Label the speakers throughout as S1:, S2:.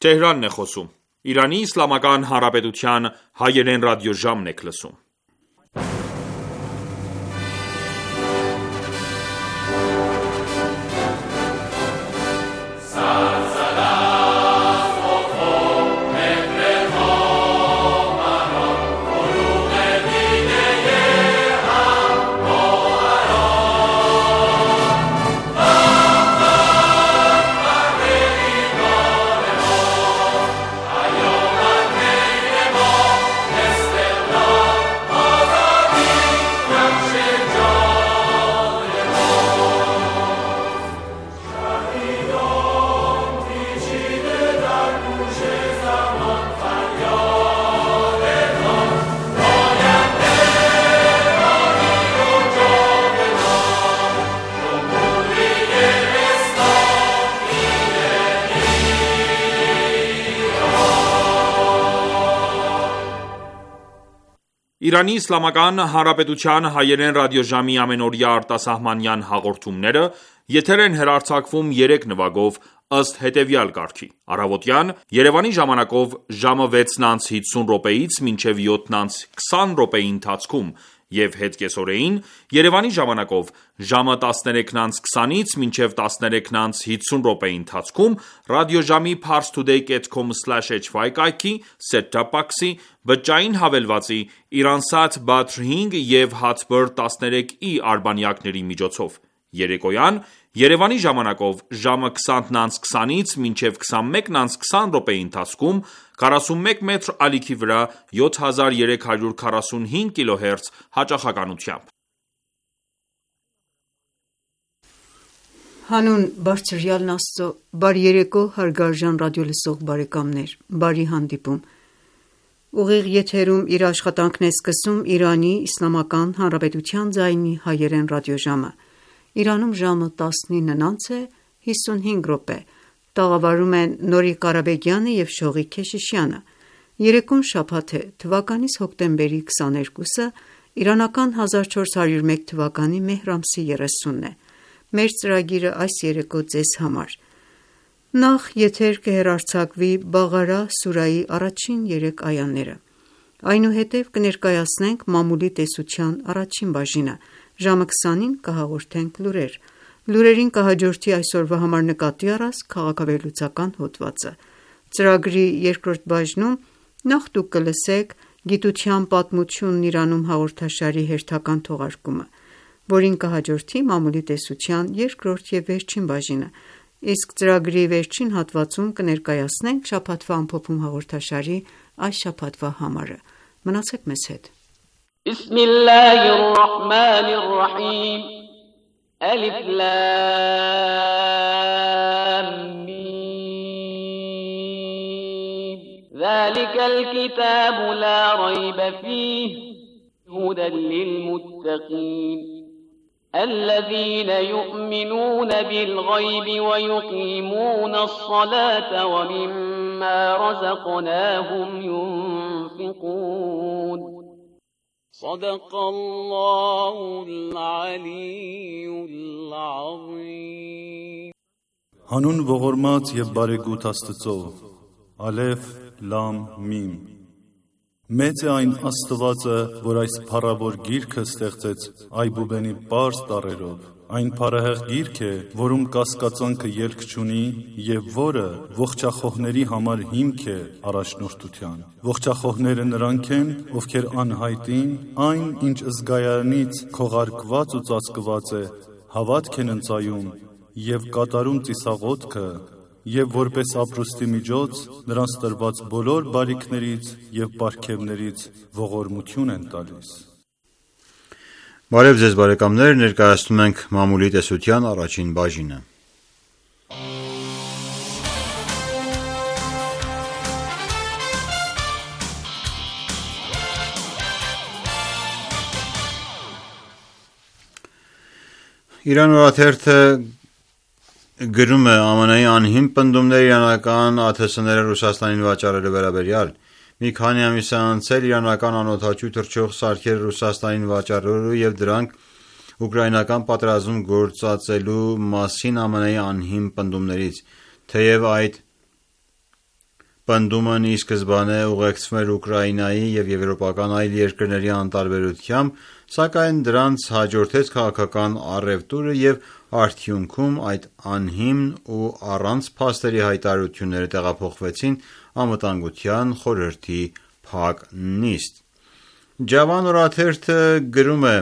S1: Թեհրանն է խոսում։ Իրանի Իսլամական Հանրապետության հայերեն ռադիոժամն եք լսում։ Իրանի Իսլամական Հանրապետության հայերեն ռադիոժամի ամենօրյա արտասահմանյան հաղորդումները եթեր են հեռարձակվում 3 նվագով ըստ հետևյալ կարգի. Առավոտյան Երևանի ժամանակով ժամը 6:50-ից մինչև 7:20 րոպեի ընթացքում և հետկեսօրեին Երևանի ժամանակով ժամը 13:20-ից մինչև 13:50 րոպեի ընթացքում ռադիոժամի parstoday.com/hy կայքի, set-top box-ի, բջջային հավելվածի, Iransat Badr 5 և Hatbird 13i արբանյակների միջոցով: Երեկոյան Երևանի ժամանակով ժամը 20:20-ից մինչև 21:20 րոպեի ընթացքում 41 մետր ալիքի վրա 7345 kHz հաճախականությամբ:
S2: Հանուն բարձրյալն Աստծո, բարի երեկո հարգարժան ռադիոլսող բարեկամներ, բարի հանդիպում: Ուղիղ եթերում իր աշխատանքն է սկսում Իրանի Իսլամական Հանրապետության ձայնի հայերեն ռադիոժամը: Իրանում ժամը 19:55 է: Տաղավարում են Նորիկ Ղարաբեգյանը և Շողիկ Քեշիշյանը: Երեկոն շաբաթ է, թվականիս հոկտեմբերի 22-ը, իրանական 1401 թվականի մեհր ամսի 30-ն է: Մեր ծրագիրը այս երեկո ձեզ համար: Նախ եթեր կհեռարձակվի Բաղարա սուրայի առաջին 3 այաները: Այնուհետև կներկայացնենք մամուլի տեսության առաջին բաժինը: Ժամը 20-ին կհաղորդենք լուրեր: Լուրերին կհաջորդի այսօրվա համար նկատի առած քաղաքավերլուծական հոդվածը: Ծրագրի երկրորդ բաժնում նախ դուք կլսեք «Գիտության պատմությունն Իրանում» հաղորդաշարի հերթական թողարկումը, որին կհաջորդի մամուլի տեսության երկրորդ և վերջին բաժինը, իսկ ծրագրի վերջին հատվածում կներկայացնենք շաբաթվա ամփոփում հաղորդաշարի այս շաբաթվա համարը: Մնացեք մեզ հետ:
S3: Բիսմիլլահիռռահմանիռռահիմ ذلك الكتاب لا ريب فيه هدى للمتقين الذين يؤمنون بالغيب ويقيمون الصلاة ومما رزقناهم ينفقون صدق الله العلي العظيم
S4: Հանուն ողորմած և բարեգութ Աստծո, Ալեֆ, Լամ, Միմ: Մեծ է այն Աստվածը, որ այս փառավոր գիրքը ստեղծեց այբուբենի պարզ տառերով: Այն փառահեղ գիրք է, որում կասկածանքը ելք չունի և որը ողջախոհների համար հիմք է առաջնորդության: Ողջախոհները նրանք են, ովքեր անհայտին, այն ինչ զգայանից քողարկված ու ծածկված է, հավատք են ընծայում և կատարում ծիսաղոթքը և որպես ապրուստի միջոց նրանց տրված բոլոր բարիքներից և պարգևներից ողորմություն են տալիս:
S5: Բարև ձեզ բարեկամներ, ներկայացնում ենք մամուլի տեսության առաջին բաժինը: Իրան օրաթերթը գրում է ԱՄՆ-ի անհիմն պնդումներ իրանական ԱԹՍ-ները Ռուսաստանին վաճառելու վերաբերյալ: Մի քանի ամիս է անցել իրանական անօդաչու թռչող սարքերը Ռուսաստանին վաճառելու և դրանք ուկրաինական պատերազմում գործածելու մասին ԱՄՆ-ի անհիմն պնդումներից: Թեև այդ Պնդումն ի սկզբանե ուղեկցվում էր Ուկրաինայի և եվրոպական այլ երկրների անտարբերությամբ, սակայն դրանց հաջորդեց քաղաքական առևտուրը և արդյունքում այդ անհիմն ու առանց փաստերի հայտարարությունները տեղափոխվեցին Անվտանգության խորհրդի փակ նիստ։ Ջավան օրաթերթը գրում է.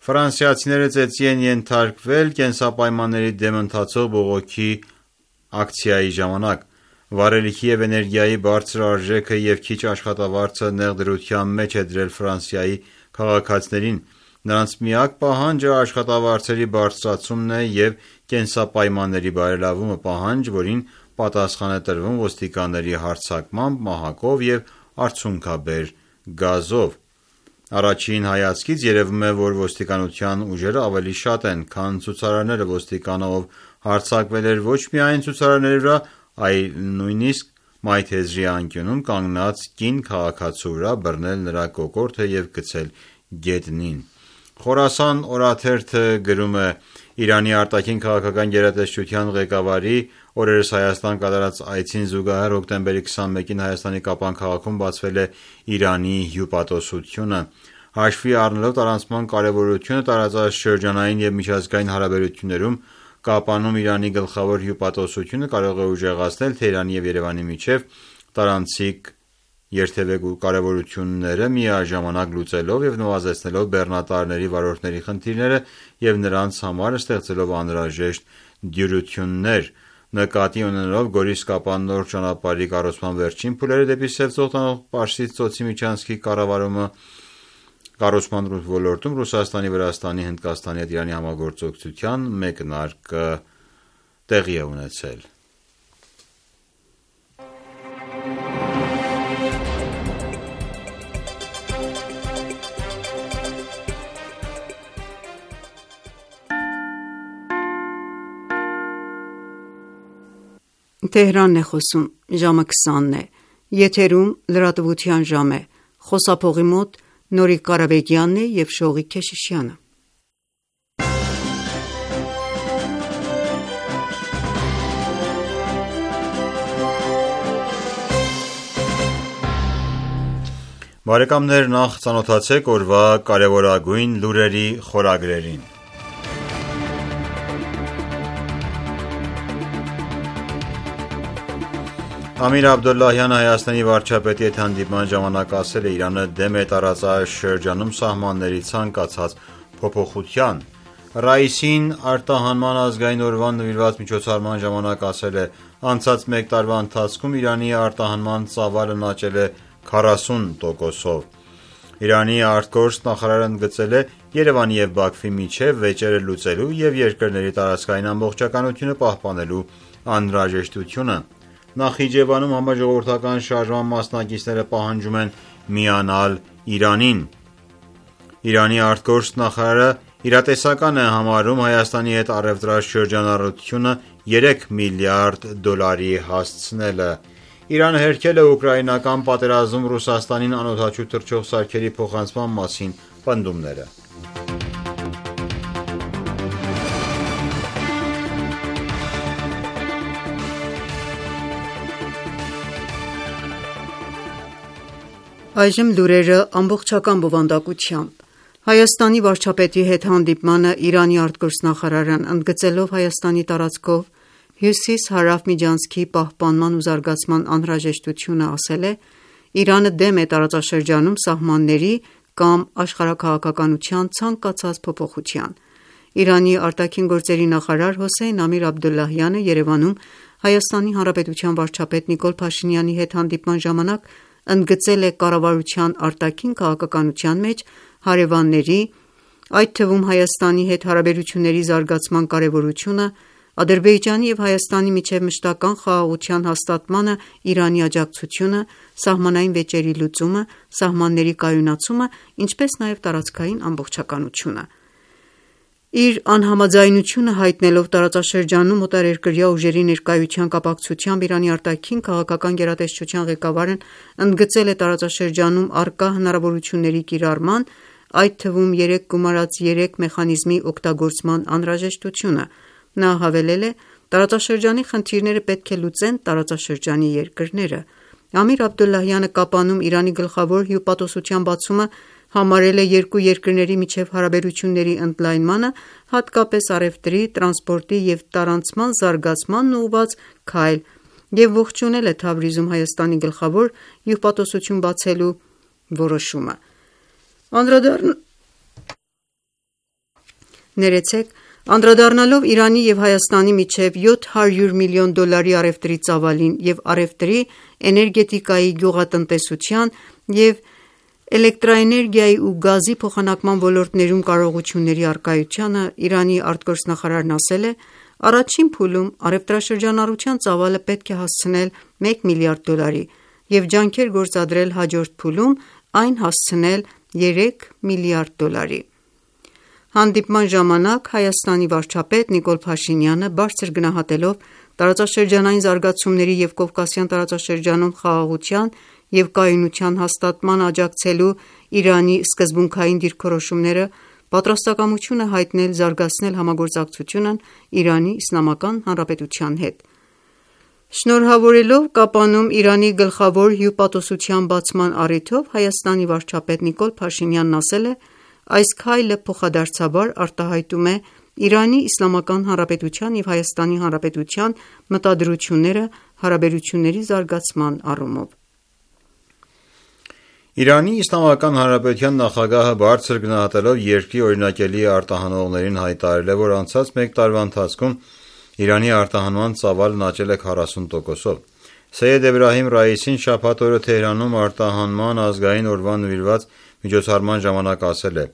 S5: «Ֆրանսիացիները ծեծի են ենթարկվել կենսապայմանների դեմ ընթացող բողոքի ակցիայի ժամանակ։ Վառելիքի և էներգիայի բարձր արժեքը և քիչ աշխատավարձը նեղ դրության մեջ է դրել Ֆրանսիայի քաղաքացիներին։ Նրանց միակ պահանջը աշխատավարձերի բարձրացումն է և կենսապայմանների բարելավումը, պահանջ, որին պատասխան է տրվում ոստիկանների հարձակմամբ, մահակով և արցունքաբեր գազով։ Առաջին հայացքից երևում է, որ ոստիկանության ուժերը ավելի շատ են, քան ցուցարարները։ Ոստիկանը, ով հարձակվել էր ոչ միայն ցուցարարների վրա, այլ նույնիսկ մայթեզրի անկյունում կանգնած կին քաղաքացու վրա, բռնել նրա կոկորդը և գցել գետնին»։ Խորասան օրաթերթը գրում է. «Իրանի արտաքին քաղաքական գերատեսչության ղեկավարի օրերս Հայաստան կատարած այցին զուգահեռ հոկտեմբերի 21-ին Հայաստանի Կապան քաղաքում բացվել է Իրանի հյուպատոսությունը։ Հաշվի առնելով տարանցման կարևորությունը տարածաշրջանային և միջազգային հարաբերություններում, Կապանում Իրանի գլխավոր հյուպատոսությունը կարող է ուժեղացնել Թեհրանի և Երևանի միջև տարանցիկ կարևորությունները, միաժամանակ լուծելով և նվազեցնելով բեռնատարների վարորդների խնդիրները և նրանց համար ստեղծելով անհրաժեշտ դյուրություններ։ Նկատի ունենալով Գորիս-Կապան նոր ճանապարհի կառուցման վերջին փուլերը դեպի Սև ծով տանող Պարսից ծոցի միջանցքի կառուցման ոլորտում Ռուսաստանի, Վրաստանի, Հնդկաստանի հետ Իրանի համագործակցության մեկնարկը տեղի է ունեցել»։
S2: Թեհրանն է խոսում, ժամը 20-ն է, եթերում լրատվության ժամ է, խոսափողի մոտ Նորիկ Ղարաբեգյանն է և Շողիկ Քեշիշյանը։
S5: Բարեկամներ, նախ ծանոթացեք օրվա կարևորագույն լուրերի խորագրերին։ Ամիր Աբդոլլահյանը Հայաստանի վարչապետի հետ հանդիպման ժամանակ ասել է. «Իրանը դեմ է տարածաշրջանում սահմանների ցանկացած փոփոխության»։ Ռաիսին արտահանման ազգային օրվան նվիրված միջոցառման ժամանակ ասել է. «Անցած մեկ տարվա ընթացքում Իրանի արտահանման ծավալն աճել է 40%-ով»։ Իրանի ԱԳ նախարարը ընդգծել է Երևանի և Բաքվի միջև վեճերը լուծելու և երկրների տարածքային ամբողջականությունը պահպանելու անհրաժեշտությունը։ Նախիջևանում համաժողովրդական շարժման մասնակիցները պահանջում են միանալ Իրանին։ Իրանի ԱԳ նախարարը իրատեսական է համարում Հայաստանի հետ առևտրաշրջանառությունը $3 միլիարդ հասցնելը։ Իրանը հերքել է ուկրաինական պատերազմում Ռուսաստանին անօդաչու թռչող սարքերի փոխանցման մասին պնդումները։
S2: Այժմ լուրերը ամբողջական բովանդակությամբ։ Հայաստանի վարչապետի հետ հանդիպմանը Իրանի արտգործնախարարն ընդգծելով Հայաստանի տարածքով հյուսիս-հարավ միջանցքի պահպանման ու զարգացման անհրաժեշտությունը, ասել է. «Իրանը դեմ է տարածաշրջանում սահմանների կամ աշխարհաքաղաքականության ցանկացած փոփոխության»։ Իրանի արտաքին գործերի նախարար Հոսեյն Ամիր Աբդոլլահյանը Երևանում Հայաստանի Հանրապետության վարչապետ Նիկոլ Փաշինյանի հետ հանդիպման ժամանակ ընդգծել է կառավարության արտաքին քաղաքականության մեջ հարևանների, այդ թվում Հայաստանի հետ հարաբերությունների զարգացման կարևորությունը, Ադրբեջանի և Հայաստանի միջև մշտական խաղաղության հաստատմանը Իրանի աջակցությունը, սահմանային վեճերի լուծումը, սահմանների կայունացումը, ինչպես նաև տարածքային ամբողջականությունը։ Իր անհամաձայնությունը հայտնելով տարածաշրջանում օտարերկրյա ուժերի ներկայության կապակցությամբ Իրանի արտաքին քաղաքական գերատեսչության ղեկավարն ընդգծել է տարածաշրջանում առկա հնարավորությունների կիրառման, այդ թվում 3+3 մեխանիզմի օգտագործման անհրաժեշտությունը։ Նա հավելել է. Տարածաշրջանի խնդիրները պետք է լուծեն տարածաշրջանի երկրները։ Ամիր Աբդոլլահյանը կապանում Իրանի գլխավոր հյուպատոսության բացումը համարել է երկու երկրների միջև հարաբերությունների ընդլայնմանը, հատկապես առևտրի, տրանսպորտի և տարանցման զարգացմանն ուղղված քայլ և ողջունել է Թավրիզում Հայաստանի գլխավոր հյուպատոսություն բացելու որոշումը։ Անդրադառնալով Իրանի և Հայաստանի միջև $700 միլիոն առևտրի ծավալին և առևտրի, էներգետիկայի, գյուղատնտեսության և էլեկտրաէներգիայի ու գազի փոխանակման ոլորտներում կարողությունների առկայությանը, Իրանի արտգործնախարարն ասել է. «Առաջին փուլում առևտրաշրջանառության ծավալը պետք է հասցնել $1 միլիարդ և ջանքեր գործադրել հաջորդ փուլում այն հասցնել $3 միլիարդ»։ Հանդիպման ժամանակ Հայաստանի վարչապետ Նիկոլ Փաշինյանը, բարձր գնահատելով տարածաշրջանային զարգացումների և Կովկասյան տարածաշրջանում խաղաղության և կայունության հաստատմանը աջակցելու Իրանի սկզբունքային դիրքորոշումները, պատրաստակամություն է հայտնել զարգացնել համագործակցությունն Իրանի Իսլամական Հանրապետության հետ։ Շնորհավորելով կապանում Իրանի գլխավոր հյուպատոսության բացման առիթով Հայաստանի վարչապետ Նիկոլ Փաշինյանն ասել է. «Այս քայլը փոխադարձաբար արտահայտում է Իրանի Իսլամական Հանրապետության և Հայաստանի Հանրապետության մտադրությունները հարաբերությունների զարգացման առումով»։
S5: Իրանի Իսլամական Հանրապետության նախագահը բարձր գնահատելով երկրի օրինակելի արտահանողներին հայտարարել է, որ անցած մեկ տարվա ընթացքում Իրանի արտահանման ծավալն աճել է 40%-ով։ Սեյեդ Էբրահիմ Ռայիսին շաբաթ օրը Թեհրանում արտահանման ազգային օրվան նվիրված միջոցառման ժամանակ ասել է.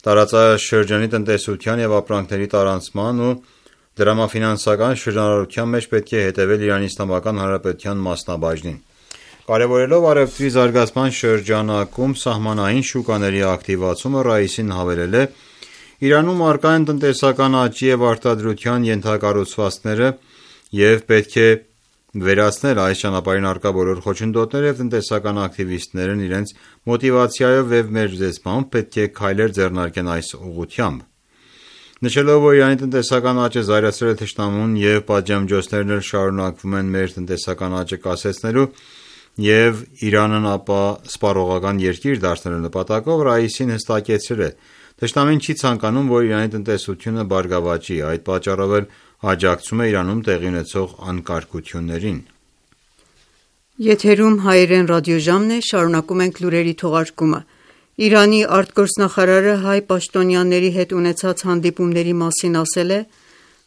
S5: «Տարածաշրջանի տնտեսության և ապրանքների տարանցման ու դրամաֆինանսական շրջանառության մեջ պետք է հետևել Իրանի Իսլամական Հանրապետության մասնաբաժնին»։ Կարևորելով առևտրի զարգացման շրջանակում սահմանային շուկաների ակտիվացումը, Ռայիսին հավելել է. «Իրանում առկա են տնտեսական աճի և արտադրության ենթակառուցվածքները և պետք է վերացնել այս ճանապարհին առկա բոլոր խոչընդոտները և տնտեսական ակտիվիստներն իրենց մոտիվացիայով և մերձեցմամբ պետք է քայլեր ձեռնարկեն այս ուղղությամբ»։ Նշելով, որ Իրանի տնտեսական աճը զայրացրել է թշնամուն և պատժամիջոցներն էլ շարունակվում են մեր տնտեսական աճը կասեցնելու և Իրանն ապա սպառողական երկիր դարձնելու նպատակով, Ռայիսին հստակեցրել է. «Թշնամին չի ցանկանում, որ Իրանի տնտեսությունը բարգավաճի, այդ պատճառով էլ աջակցում է Իրանում տեղի ունեցող անկարգություններին»։
S2: Իրանի արտգործնախարարը հայ պաշտոնյաների հետ ունեցած հանդիպումների մասին ասել է.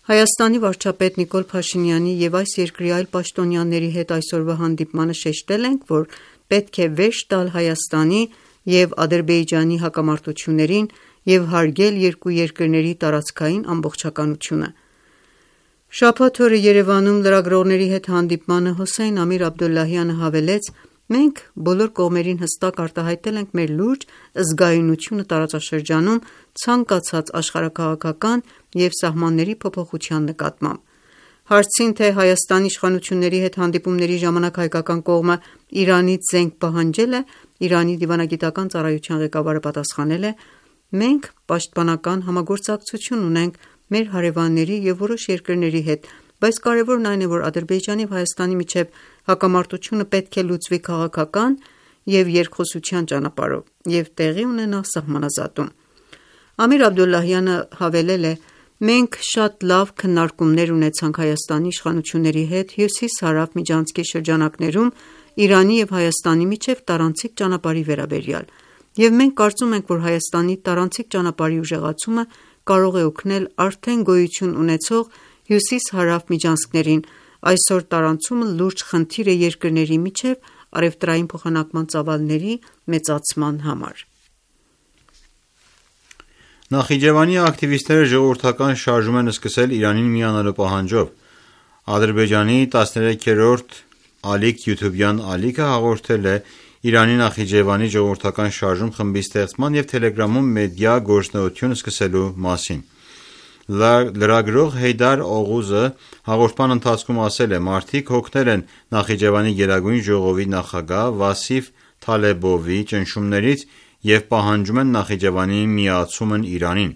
S2: «Հայաստանի վարչապետ Նիկոլ Փաշինյանի և այս երկրի այլ պաշտոնյաների հետ այսօրվա հանդիպմանը շեշտել ենք, որ պետք է վերջ տալ Հայաստանի և Ադրբեջանի հակամարտություններին և հարգել երկու երկրների տարածքային ամբողջականությունը»։ Շաբաթ օրը Երևանում լրագրողների հետ հանդիպմանը Հոսեյն Ամիր Աբդոլլահյանը հավելեց. «Մենք բոլոր կողմերին հստակ արտահայտել ենք մեր լուրջ զգայունությունը տարածաշրջանում ցանկացած աշխարհաքաղաքական և սահմանների փոփոխության նկատմամբ»։ Հարցին, թե Հայաստանի իշխանությունների հետ հանդիպումների ժամանակ հայկական կողմը Իրանից զենք պահանջել է, Իրանի դիվանագիտական ծառայության ղեկավարը պատասխանել է. «Մենք պաշտպանական համագործակցություն ունենք մեր հարևանների և որոշ երկրների հետ, բայց կարևորն այն է, որ Ադրբեջանի և Հայաստանի միջև հակամարտությունը պետք է լուծվի քաղաքական և երկխոսության ճանապարհով և տեղի ունենա սահմանազատում»։ Ամիր Աբդոլլահյանը հավելել է. «Մենք շատ լավ քննարկումներ ունեցանք Հայաստանի իշխանությունների հետ հյուսիս-հարավ միջանցքի շրջանակներում Իրանի և Հայաստանի միջև տարանցիկ ճանապարհի վերաբերյալ, և մենք կարծում ենք, որ Հայաստանի տարանցիկ ճանապարհի ուժեղացումը կարող է օգնել արդեն գոյություն ունեցող հյուսիս-հարավ միջանցքներին։ Այսօր տարանցումը լուրջ խնդիր է երկրների միջև առևտրային փոխանակման ծավալների մեծացման համար»։
S5: Նախիջևանի ակտիվիստները ժողովրդական շարժում են սկսել Իրանին միանալու պահանջով։ Ադրբեջանի 13-րդ ալիք յութուբյան ալիքը հաղորդել է Իրանի Նախիջևանի ժողովրդական շարժում խմբի ստեղծման և Թելեգրամում մեդիա գործունեություն սկսելու մասին։ Լրագրող Հեյդար Օղուզը հաղորդման ընթացքում ասել է. «Մարդիկ հոգնել են Նախիջևանի Գերագույն ժողովի նախագահ Վասիֆ Թալեբովի ճնշումներից և պահանջում են Նախիջևանի միացումն Իրանին։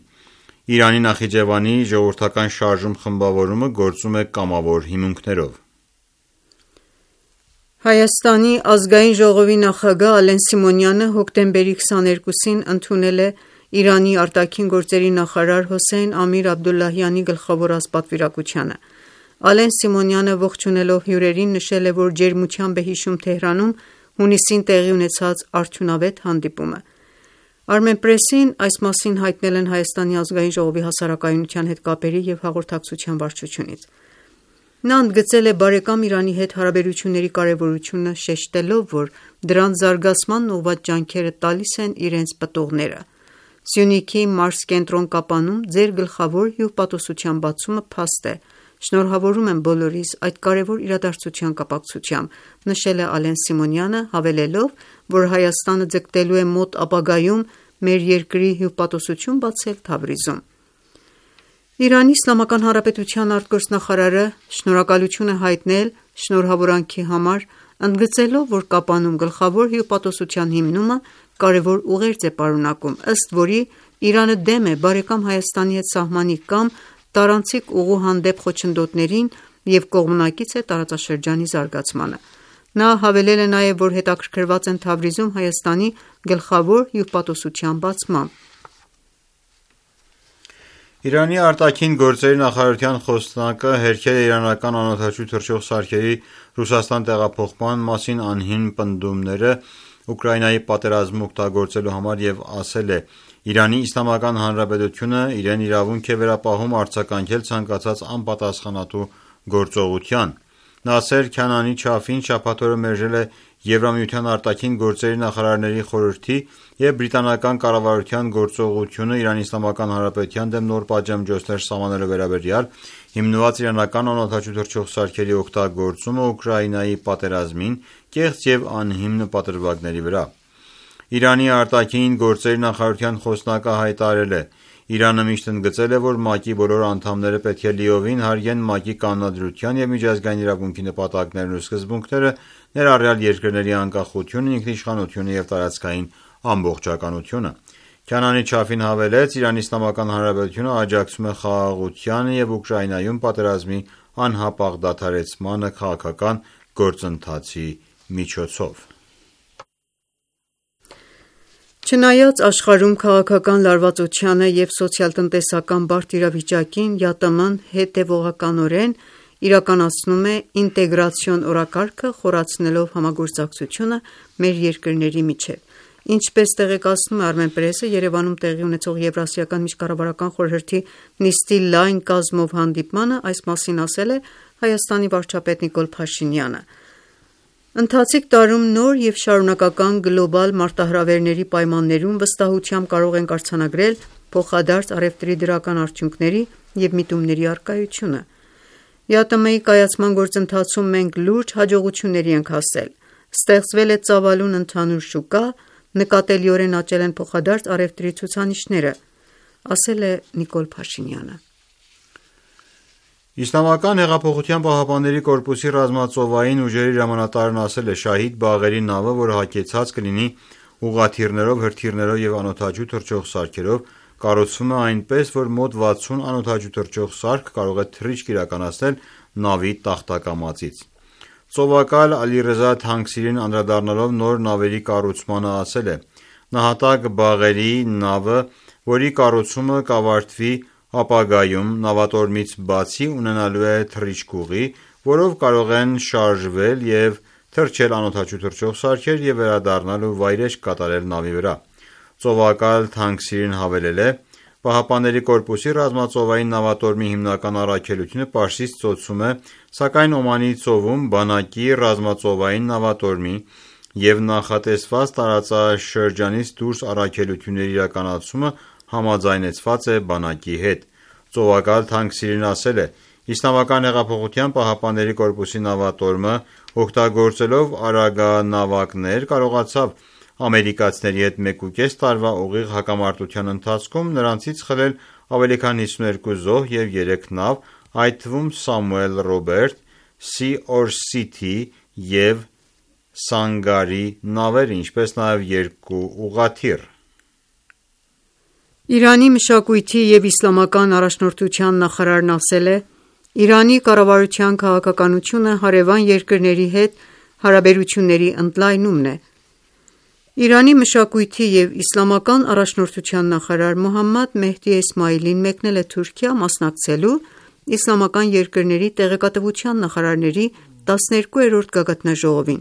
S5: Իրանի Նախիջևանի ժողովրդական շարժում խմբավորումը գործում է կամավոր հիմունքներով։
S2: Հայաստանի ազգային ժողովի նախագահ Ալեն Սիմոնյանը հոկտեմբերի 22-ին ընդունել է Իրանի արտաքին գործերի նախարար Հոսեյն Ամիր Աբդոլլահյանի գլխավորած պատվիրակությանը։ Ալեն Սիմոնյանը ողջունելով հյուրերին նշել է, որ ջերմությամբ է հիշում Թեհրանում հունիսին տեղի ունեցած արդյունավետ հանդիպումը։ Armenpress-ին այս մասին հայտնել են Հայաստանի ազգային ժողովի հասարակայնության հետ կապերի և հաղորդակցության վարչությունից։ Նա ընդգծել է բարեկամ Իրանի հետ հարաբերությունների կարևորությունը, շեշտելով, որ դրանց զարգացմանն ուղղված ջանքերը տալիս են իրենց պտուղները։ Սյունիքի Մարս կենտրոն Կապանում ձեր գլխավոր հյուպատոսության բացումը փաստ է։ Շնորհավորում եմ բոլորիս այդ կարևոր իրադարձության կապակցությամբ, նշել է Ալեն Սիմոնյանը, հավելելով, որ Հայաստանը ձգտելու է մոտ ապագայում մեր երկրի հյուպատոսություն բացել Թավրիզում։ Իրանի Իսլամական Հանրապետության արտգործնախարարը շնորհակալություն է հայտնել շնորհավորանքի համար, ընդգծելով, որ Կապանում գլխավոր հյուպատոսության հիմնումը կարևոր ուղերձ է պարունակում, ըստ որի Իրանը դեմ է բարեկամ Հայաստանի հետ սահմանի կամ տարանցիկ ուղու հանդեպ խոչընդոտներին և կողմնակից է տարածաշրջանի զարգացմանը։ Նա հավելել է նաև, որ հետաքրքրված են Թավրիզում Հայաստանի գլխավոր հյուպատոսության բացմամբ։
S5: Իրանի արտաքին գործերի նախարարության խոսնակը հերքել է իրանական անօդաչու թռչող սարքերի Ռուսաստան տեղափոխման մասին անհիմն պնդումները Ուկրաինայի պատերազմում օգտագործելու համար և ասել է. «Իրանի Իսլամական Հանրապետությունը իրեն իրավունք է վերապահում արձագանքել ցանկացած անպատասխանատու գործողության»։ Նասեր Քանանի Չաֆին շաբաթ օրը մերժել է Եվրամիության արտաքին գործերի նախարարների խորհրդի և բրիտանական կառավարության գործողությունը Իրանի Իսլամական Հանրապետության դեմ նոր պատժամիջոցներ սահմանելու վերաբերյալ հիմնված իրանական անօդաչու թռչող սարքերի օգտագործումը Ուկրաինայի պատերազմին կեղծ և անհիմն պատրվակների վրա։ Իրանի արտաքին գործերի նախարարության խոսնակը հայտարարել է. «Իրանը միշտ ընդգծել է, որ ՄԱԿ-ի բոլոր անդամները պետք է լիովին հարգեն ՄԱԿ-ի կանոնադրության և միջազգային իրավունքի նպատակներն ու սկզբունքները, ներառյալ երկրների անկախությունը, ինքնիշխանությունը և տարածքային ամբողջականությունը»։ Քանանի Չաֆին հավելեց. «Իրանի Իսլամական Հանրապետությունը աջակցում է խաղաղությանը և Ուկրաինայում պատերազմի անհապաղ դադարեցմանը քաղաքական գործընթացի միջոցով»։
S2: Չնայած աշխարհում քաղաքական լարվածությանը և սոցիալ-տնտեսական բարդ իրավիճակին, ԵԱՏՄ-ն հետևողականորեն իրականացնում է ինտեգրացիոն օրակարգը, խորացնելով համագործակցությունը մեր երկրների միջև։ Ինչպես տեղեկացնում է Armenpress-ը, Երևանում տեղի ունեցող Եվրասիական միջկառավարական խորհրդի նիստի լայն կազմով հանդիպմանը այս մասին ասել է Հայաստանի վարչապետ Նիկոլ Փաշինյանը։ Ընթացիկ տարում նոր և շարունակական գլոբալ մարտահրավերների պայմաններում վստահությամբ կարող ենք արձանագրել փոխադարձ առևտրի դրական արդյունքների և միտումների առկայությունը։ ԵԱՏՄ-ի կայացման գործընթացում մենք լուրջ հաջողությունների ենք հասել։ Ստեղծվել է ծավալուն ընդհանուր շուկա, նկատելիորեն աճել են փոխադարձ առևտրի ցուցանիշները, ասել է Նիկոլ Փաշինյանը։
S5: Իսլամական հեղափոխության պահապանների կորպուսի ռազմածովային ուժերի հրամանատարն ասել է. «Շահիդ բաղերի նավը, որը հագեցած կլինի ուղղաթիռներով, հրթիռներով և անօդաչու թռչող սարքերով, կառուցվում է այնպես, որ մոտ 60 անօդաչու թռչող սարք կարող է թռիչք իրականացնել նավի տախտակամածից»։ Ծովակալ Ալիռեզա Թանկսիրին անդրադառնալով նոր նավերի կառուցմանը ասել է. «Նահատակ բաղերի նավը, որի կառուցումը կավարտվի ապագայում, նավատորմից բացի ունենալու է թռիչքուղի, որով կարող են շարժվել և թռչել անօդաչու թռչող սարքեր և վերադառնալ ու վայրէջք կատարել նավի վրա»։ Ծովակալ Թանկսիրին հավելել է. «ԻՀՊԿ-ի ռազմածովային նավատորմի հիմնական առաքելությունը Պարսից ծոցում է, սակայն Օմանի ծովում բանակի ռազմածովային նավատորմի և նախատեսված տարածաշրջանից դուրս առաքելությունների իրականացումը համաձայնեցված է բանակի հետ»։ Ծովակալ Թանկսիրին ասել է. ԻՀՊԿ-ի նավատորմը օգտագործելով արագանավակներ կարողացավ ամերիկացիների հետ 1.5 տարվա ուղիղ հակամարտության ընթացքում նրանցից խլել ավելի քան 52 զոհ և 3 նավ, այդ թվում Սամուել Ռոբերտ, Sea Orcity և Սանգարի նավերը, ինչպես նաև 2 ուղղաթիռ։
S2: Իրանի մշակույթի և իսլամական առաջնորդության նախարարն ասել է. «Իրանի կառավարության քաղաքականությունը հարևան երկրների հետ հարաբերությունների ընդլայնումն է»։ Իրանի մշակույթի և իսլամական առաջնորդության նախարար Մոհամմադ Մեհդի Էսմաիլին մեկնել է Թուրքիա՝ մասնակցելու իսլամական երկրների տեղեկատվության նախարարների 12-րդ գագաթնաժողովին։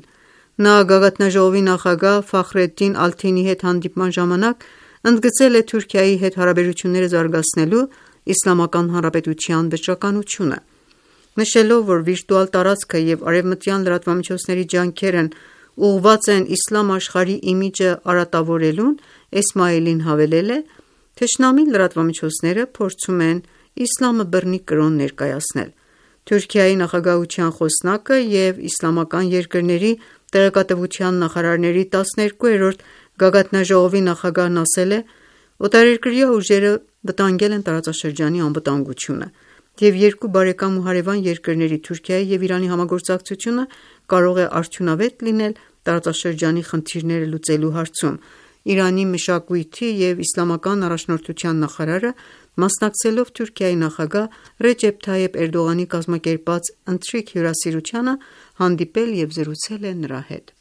S2: Նա գագաթնաժողովի նախագահ Ֆախրեդդին Ալթինի հետ հանդիպման ժամանակ ընդգծել է Թուրքիայի հետ հարաբերությունները զարգացնելու Իսլամական Հանրապետության վճռականությունը։ Նշելով, որ վիրտուալ տարածքը և արևմտյան լրատվամիջոցների ջանքերն ուղղված են իսլամ աշխարհի իմիջը արատավորելուն, Էսմաիլին հավելել է. «Թշնամի լրատվամիջոցները փորձում են իսլամը բռնի կրոն ներկայացնել»։ Թուրքիայի նախագահության խոսնակը և իսլամական երկրների տեղեկատվության նախարարների 12-րդ գագաթնաժողովի նախագահն ասել է. «Օտարերկրյա ուժերը վտանգել են տարածաշրջանի անվտանգությունը, և երկու բարեկամ ու հարևան երկրների՝ Թուրքիայի և Իրանի համագործակցությունը կարող է արդյունավետ լինել տարածաշրջանի խնդիրները լուծելու հարցում»։ Իրանի մշակույթի և իսլամական առաջնորդության նախարարը, մասնակցելով Թուրքիայի նախագահ Ռեջեփ Թայեփ Էրդողանի կազմակերպած ընթրիք հյուրասիրությանը, հանդիպել և զրուցել է նրա հետ։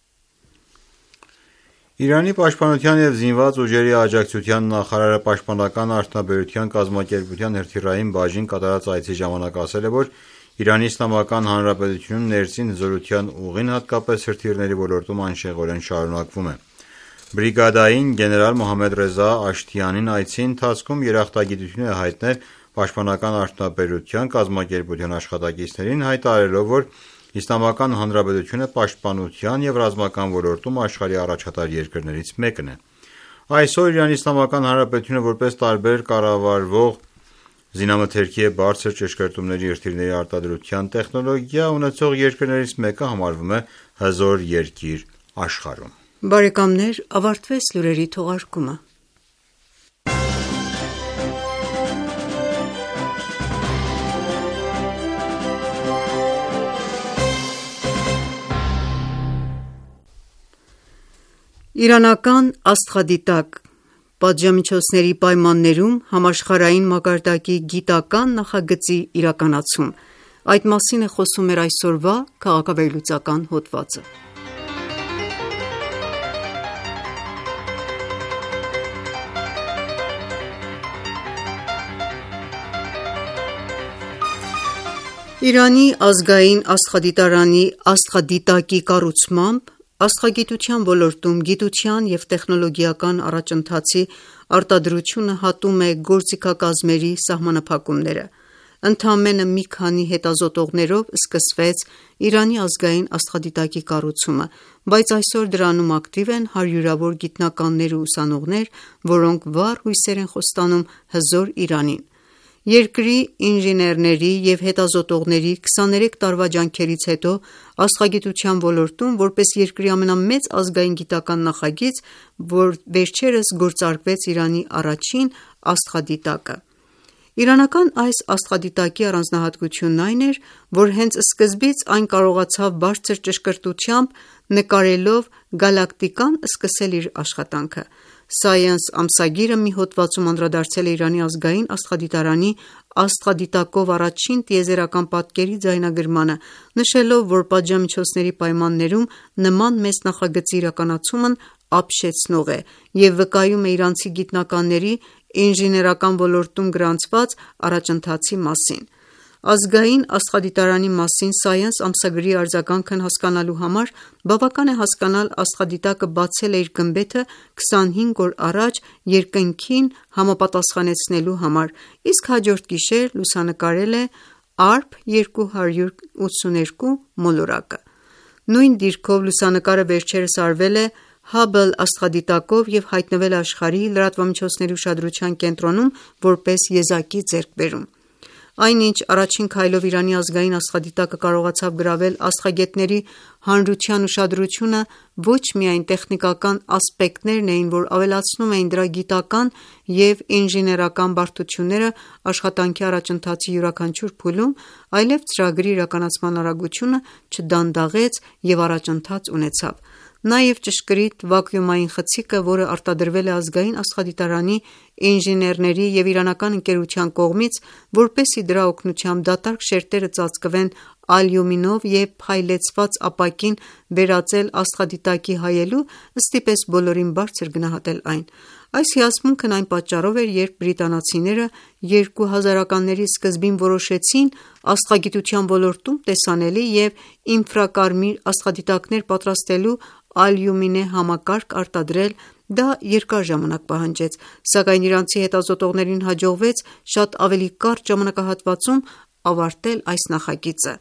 S5: Իրանի պաշտպանության և զինված ուժերի աջակցության նախարարը Պաշտպանական արդյունաբերության կազմակերպության հրթիռային բաժին կատարած այցի ժամանակ ասել է, որ Իրանի Իսլամական Հանրապետությունում ներսին հզորության ուղին, հատկապես հրթիռների ոլորտում, անշեղորեն շարունակվում է։ Բրիգադային գեներալ Մոհամմեդ Ռեզա Աշթիանին այցի ընթացքում երախտագիտություն է հայտնել Պաշտպանական արդյունաբերության կազմակերպության աշխատակիցներին, հայտարարելով, որ Իսլամական Հանրապետությունը պաշտպանության և ռազմական ոլորտում աշխարհի առաջատար երկրներից մեկն է։ Այսօր Իրանի Իսլամական Հանրապետությունը, որպես տարբեր կառավարվող զինամթերքի և բարձր ճշգրտումների հրթիռների արտադրության տեխնոլոգիա ունեցող երկրներից մեկը, համարվում է հզոր երկիր աշխարհում։
S2: Բարեկամներ, ավարտվեց լուրերի թողարկումը։ Իրանական աստղադիտակ պատժամիջոցների պայմաններում համաշխարհային մակարդակի գիտական նախագծի իրականացում։ Այդ մասին է խոսում մեր այսօրվա քաղաքավերլուծական հոդվածը։ Իրանի ազգային աստղադիտարանի աստղադիտակի կառուցմամբ աստղագիտության ոլորտում գիտության և տեխնոլոգիական առաջընթացի արտադրությունը հատում է գործիքակազմերի սահմանափակումները։ Ընդամենը մի քանի հետազոտողներով սկսվեց Իրանի ազգային աստղադիտակի կառուցումը, բայց այսօր դրանում ակտիվ են հարյուրավոր գիտնականներ ու ուսանողներ, որոնք վառ հույսեր են խոստանում հզոր Իրանին։ Երկրի ինժեներների և հետազոտողների 23 տարվա ջանքերից հետո աստղագիտության ոլորտում, որպես երկրի ամենամեծ ազգային գիտական նախագիծ, վերջերս գործարկվեց Իրանի առաջին աստղադիտակը։ Իրանական այս աստղադիտակի առանձնահատկությունն այն էր, որ հենց սկզբից այն կարողացավ բարձր ճշգրտությամբ նկարելով գալակտիկան սկսել իր աշխատանքը։ Science ամսագիրը մի հոդվածում անդրադարձել է Իրանի ազգային աստղադիտարանի աստղադիտակով առաջին տիեզերական պատկերի ձայնագրմանը, նշելով, որ պատժամիջոցների պայմաններում նման մեծ նախագծի իրականացումն ապշեցնող է և վկայում է իրանցի գիտնականների ինժեներական ոլորտում գրանցված առաջընթացի մասին։ Ազգային աստղադիտարանի մասին Science ամսագրի արձագանքն հասկանալու համար բավական է հասկանալ աստղադիտակը բացել է իր գմբեթը 25 օր առաջ երկնքին համապատասխանեցնելու համար, իսկ հաջորդ գիշեր լուսանկարել է ARP 282 մոլորակը։ Նույն դիրքով լուսանկարը վերջերս արվել է Hubble աստղադիտակով և հայտնվել է աշխարհի լրատվամիջոցների ուշադրության կենտրոնում որպես եզակի ձեռքբերում։ Այնինչ առաջին քայլով Իրանի ազգային աստղադիտակը կարողացավ գրավել աստղագետների հանրության ուշադրությունը ոչ միայն տեխնիկական ասպեկտներն էին, որ ավելացնում էին դրա գիտական և ինժեներական բարդությունները աշխատանքի առաջընթացի յուրաքանչյուր փուլում, այլև ծրագրի իրականացման արագությունը չդանդաղեց և առաջընթաց ունեցավ։ Նաև ճշգրիտ վակուումային խցիկը, որը արտադրվել է Ազգային աստղադիտարանի ինժեներների և իրանական ընկերության կողմից, որպեսզի դրա օգնությամբ դատարկ շերտերը ծածկվեն ալյումինով և փայլեցված ապակին վերածել աստղադիտակի հայելու, ստիպեց բոլորին բարձր գնահատել այն։ Այս հիացմունքն այն պատճառով էր, երբ բրիտանացիները 2000-ականների սկզբին որոշեցին աստղագիտության ոլորտում տեսանելի և ինֆրակարմիր աստղադիտակներ պատրաստելու ալյումինե համակարգ արտադրել, դա երկար ժամանակ պահանջեց, սակայն իրանցի հետազոտողներին հաջողվեց շատ ավելի կարճ ժամանակահատվածում ավարտել այս նախագիծը։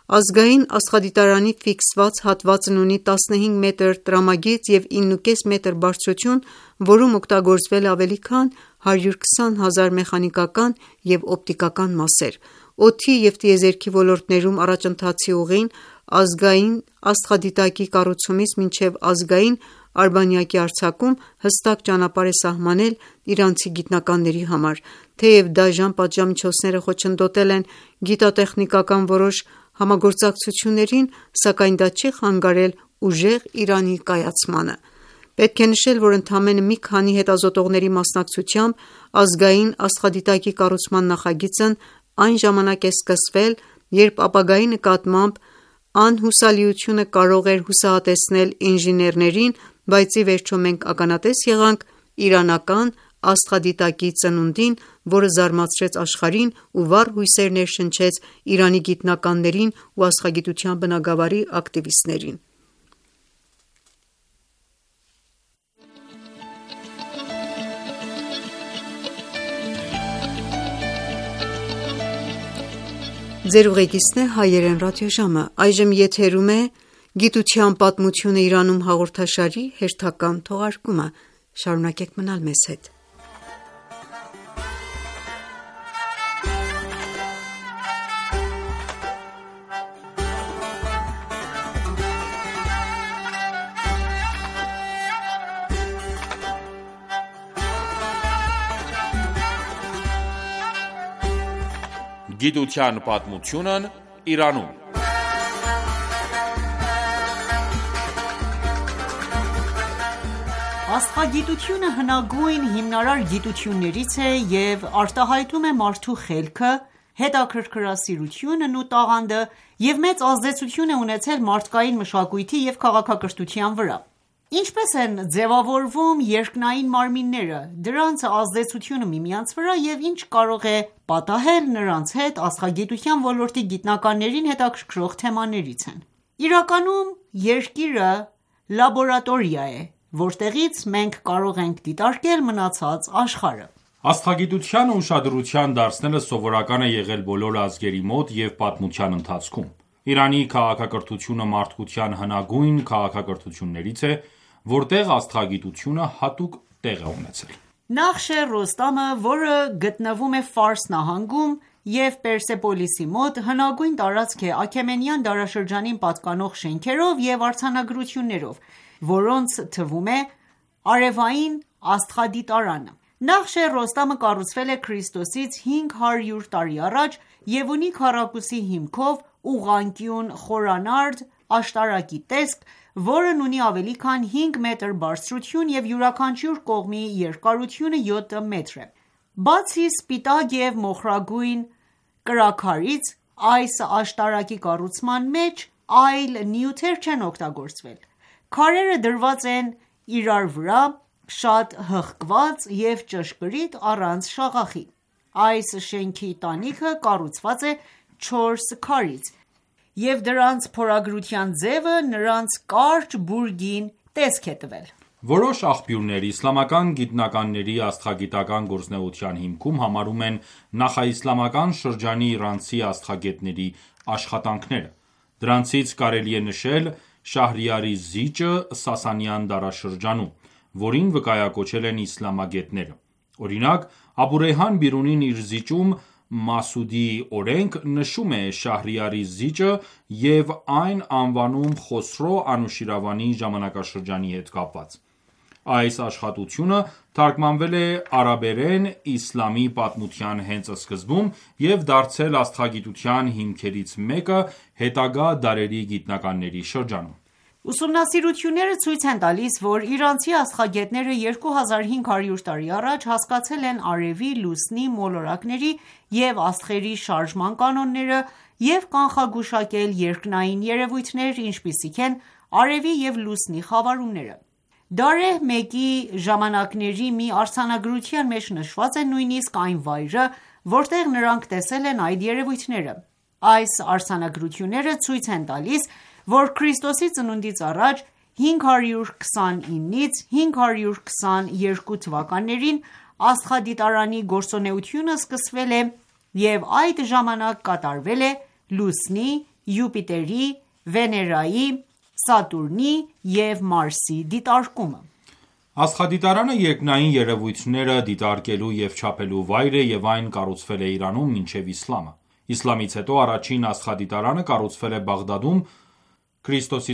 S2: Ազգային աստղադիտարանի ֆիքսված հատվածն ունի 15 մետր տրամագիծ և 9,5 մետր բարձրություն, որում օգտագործվել է ավելի քան 120 հազար մեխանիկական և օպտիկական մասեր։ Օդի և տիեզերքի ոլորտներում առաջընթացի ուղին ազգային աստղադիտակի կառուցումից մինչև ազգային արբանյակի արձակում հստակ ճանապարհ է սահմանել իրանցի գիտնականների համար։ Թեև դաժան պատժամիջոցները խոչընդոտել են գիտատեխնիկական որոշ համագործակցություններին, սակայն դա չի խանգարել ուժեղ Իրանի կայացմանը։ Պետք է նշել, որ ընդամենը մի քանի հետազոտողների մասնակցությամբ ազգային աստղադիտակի կառուցման նախագիծն այն ժամանակ է սկսվել, երբ ապագայի նկատմամբ անհուսալիությունը կարող էր հուսահատեցնել ինժեներներին, բայց ի վերջո մենք ականատես եղանք իրանական աստղադիտակի ծնունդին, որը զարմացրեց աշխարհին ու վառ հույսեր ներշնչեց Իրանի գիտնականներին ու աստղագիտության բնագավառի ակտիվիստներին։ «Գիտության պատմությունը Իրանում» հաղորդաշարի հերթական թողարկումը։ Շարունակեք մնալ մեզ հետ։
S1: Գիտության պատմությունն Իրանում։
S6: Աստղագիտությունը հնագույն հիմնարար գիտություններից է և արտահայտում է մարդու խելքը, հետաքրքրասիրությունն ու տաղանդը և մեծ ազդեցություն է ունեցել մարդկային մշակույթի և քաղաքակրթության վրա։ Ինչպես են ձևավորվում երկնային մարմինները, դրանց ազդեցությունը միմյանց վրա և ինչ կարող է պատահել նրանց հետ աստղագիտության ոլորտի գիտնականներին հետաքրքրող թեմաներից են։ Իրականում Երկիրը լաբորատորիա է, որտեղից մենք կարող ենք դիտարկել մնացած աշխարհը։
S1: Աստղագիտությանը ուշադրության դարձնելը սովորական է եղել բոլոր ազգերի մոտ և պատմության ընթացքում։ Իրանի քաղաքակրթությունը մարդկության հնագույն քաղաքակրթություններից է, որտեղ աստղագիտությունը հատուկ տեղ է ունեցել։
S6: Նախշե Ռոստամը, որը գտնվում է Ֆարս նահանգում և Պերսեպոլիսի մոտ, հնագույն տարածք է Աքեմենյան դարաշրջանին պատկանող շենքերով և արձանագրություններով, որոնց թվում է արևային աստղադիտարանը։ Նախշե Ռոստամը կառուցվել է Քրիստոսից 500 տարի առաջ և ունի քառակուսի հիմքով ուղղանկյուն խորանարդ աշտարակի տեսք, որն ունի ավելի քան 5 մետր բարձրություն և յուրաքանչյուր կողմի երկարությունը 7 մետր է։ Բացի սպիտակ և մոխրագույն կրաքարից, այս աշտարակի կառուցման մեջ այլ նյութեր չեն օգտագործվել։ Քարերը դրված են իրար վրա շատ հղկված և ճշգրիտ առանց շաղախի։ Այս շենքի տանիքը կառուցված է 4 քարից, և դրանց փորագրության ձևը նրանց կարճ բուրգին տեսք է տվել։
S1: Որոշ աղբյուրներ իսլամական գիտնականների աստղագիտական գործունեության հիմքում համարում են նախաիսլամական շրջանի իրանցի աստղագետների աշխատանքները։ Դրանցից կարելի է նշել Շահրիարի զիջը Սասանյան դարաշրջանում, որին վկայակոչել են իսլամագետները։ Օրինակ, Աբու Ռեյհան Բիրունին իր զիջում «Մասուդի օրենք» նշում է Շահրիարի զիջը և այն անվանում Խոսրո Անուշիրվանի ժամանակաշրջանի հետ կապված։ Այս աշխատությունը թարգմանվել է արաբերեն իսլամի պատմության հենց սկզբում և դարձել աստղագիտության հիմքերից մեկը հետագա դարերի գիտնականների շրջանում։
S6: Ուսումնասիրությունները ցույց են տալիս, որ իրանցի աստղագետները 2500 տարի առաջ հասկացել են արևի, լուսնի, մոլորակների և աստղերի շարժման կանոնները և կանխագուշակել երկնային երևույթներ, ինչպիսիք են արևի և լուսնի խավարումները: Դարեհ մեկի ժամանակների մի արձանագրության մեջ նշված է նույնիսկ այն վայրը, որտեղ նրանք տեսել են այդ երևույթները: Այս արձանագրությունները ցույց են տալիս, որ ՔԾԱ 529-ից 522 թվականներին աստղադիտարանի գործունեությունը սկսվել է և այդ ժամանակ կատարվել է Լուսնի, Յուպիտերի, Վեներայի, Սատուրնի և Մարսի դիտարկումը:
S1: Աստղադիտարանը երկնային երևույթները դիտարկելու և չափելու վայր է և այն կառուցվել է Իրանում մինչև իսլամը: Իսլամից հետո առաջին աստղադիտարանը կառուցվել է Բաղդադում ՔԾԱ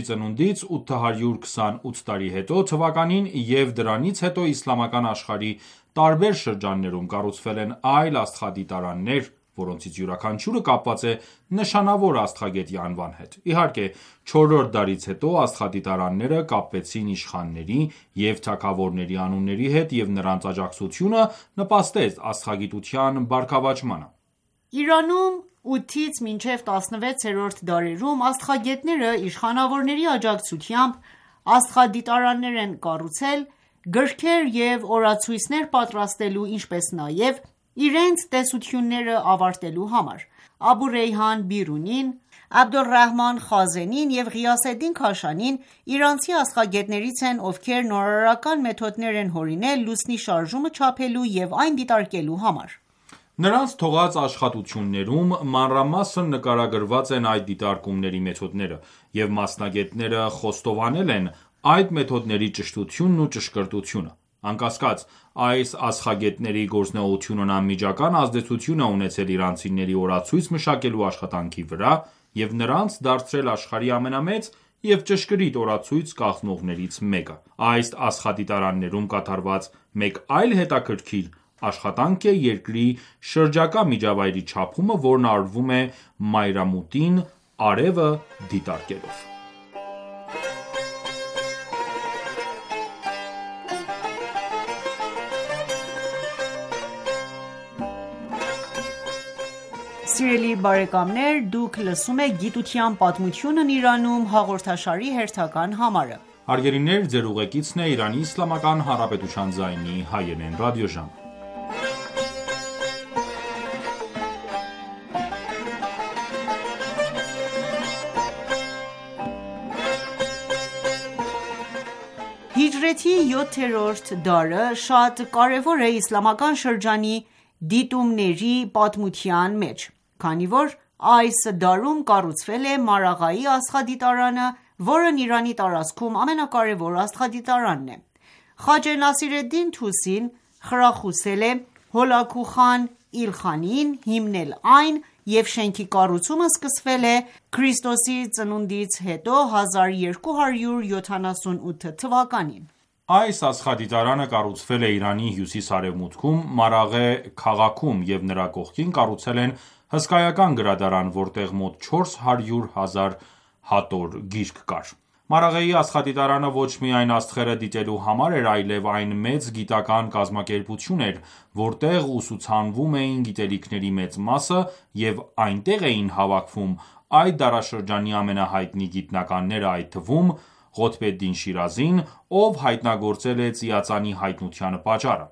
S1: 828 տարի հետո թվականին և դրանից հետո իսլամական աշխարհի տարբեր շրջաններում կառուցվել են այլ աստղադիտարաններ, որոնցից յուրաքանչյուրը կապված է նշանավոր աստղագետի անվան հետ: Իհարկե, չորրորդ դարից հետո աստղադիտարանները կապվեցին իշխանների և թագավորների անունների հետ և նրանց աջակցությունը նպաստեց աստղագիտության բարգավաճմանը:
S6: Իրանում 8-ից մինչև 16-րդ դարերում աստղագետները իշխանավորների աջակցությամբ աստղադիտարաններ են կառուցել գրքեր և օրացույցներ պատրաստելու, ինչպես նաև իրենց տեսությունները ավարտելու համար: Աբու Ռեյհան Բիրունին, Աբդոլռահման Խազենին և Ղիյասեդդին Քաշանին իրանցի աստղագետներից են, ովքեր նորարարական մեթոդներ են հորինել լուսնի շարժումը չափելու և այն դիտարկելու համար:
S1: Նրանց թողած աշխատություններում մանրամասն նկարագրված են այդ դիտարկումների մեթոդները, և մասնագետները խոստովանել են այդ մեթոդների ճշտությունն ու ճշգրտությունը: Անկասկած, այս աստղագետների գործունեությունն անմիջական ազդեցություն է ունեցել իրանցիների օրացույց մշակելու աշխատանքի վրա և նրանց դարձրել աշխարհի ամենամեծ և ճշգրիտ օրացույց կազմողներից մեկը: Այս աստղադիտարաններում կատարված մեկ այլ հետաքրքիր աշխատանք է երկրի շրջակա միջավայրի չափումը, որն արվում է մայրամուտին արևը դիտարկելով:
S6: Հիջրեթի 7-րդ դարը շատ կարևոր է իսլամական շրջանի դիտումների պատմության մեջ, քանի որ այս դարում կառուցվել է Մարաղեի աստղադիտարանը, որն Իրանի տարածքում ամենակարևոր աստղադիտարանն է: Խաջե Նասիրեդդին Թուսին խրախուսել է Հոլաքու խան Իլխանիին հիմնել այն և շենքի կառուցումը սկսվել է ՔԾԱ 1278 թվականին:
S1: Այս աստղադիտարանը կառուցվել է Իրանի հյուսիս-արևմուտքում Մարաղե քաղաքում և նրա կողքին կառուցել են հսկայական գրադարան, որտեղ մոտ 400,000 հատոր գիրք կար: Մարաղեի աստղադիտարանը ոչ միայն աստղերը դիտելու համար էր, այլև այն մեծ գիտական կազմակերպություն էր, որտեղ ուսուցանվում էին գիտելիքների մեծ մասը և այնտեղ էին հավաքվում այդ դարաշրջանի ամենահայտնի գիտնականները, այդ թվում Ղոթբեդդին Շիրազին, ով հայտնագործել է ծիածանի հայտնության պատճառը: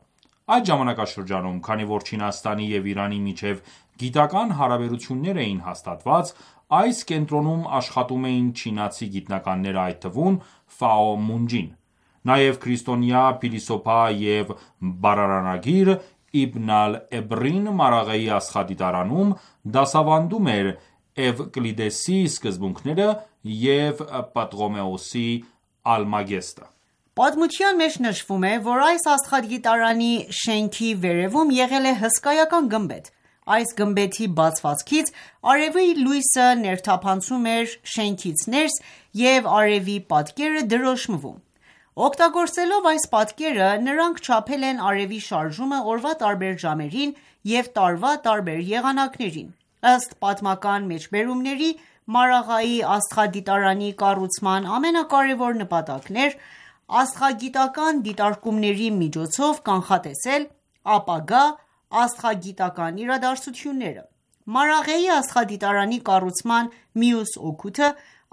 S1: Այդ ժամանակաշրջանում, քանի որ Չինաստանի և Իրանի միջև գիտական հարաբերություններ էին հաստատված, այս կենտրոնում աշխատում էին չինացի գիտնականներ, այդ թվում Ֆաո Մունջին: Նաև քրիստոնյա փիլիսոփա և բառարանագիր Իբն ալ-Էբրին Մարաղեի աստղադիտարանում դասավանդում էր Էվկլիդեսի սկզբունքները և Պտղոմեոս Ալմագեստը:
S6: Պատմության մեջ նշվում է, որ այս աստղադիտարանի շենքի վերևում եղել է հսկայական գմբեթ: Այս գմբեթի բացվածքից արևի լույսը ներթափանցում էր շենքից ներս և արևի պատկերը դրոշմվում: Օգտագործելով այս պատկերը, նրանք չափել են արևի շարժումը օրվա տարբեր ժամերին և տարվա տարբեր եղանակներին: Ըստ պատմական մեջբերումների, Մարաղայի աստղադիտարանի կառուցման ամենակարևոր նպատակն էր աստղագիտական դիտարկումների միջոցով կանխատեսել ապագա աստղագիտական իրադարձությունները։ Մարաղեի աստղադիտարանի կառուցման մյուս օգուտը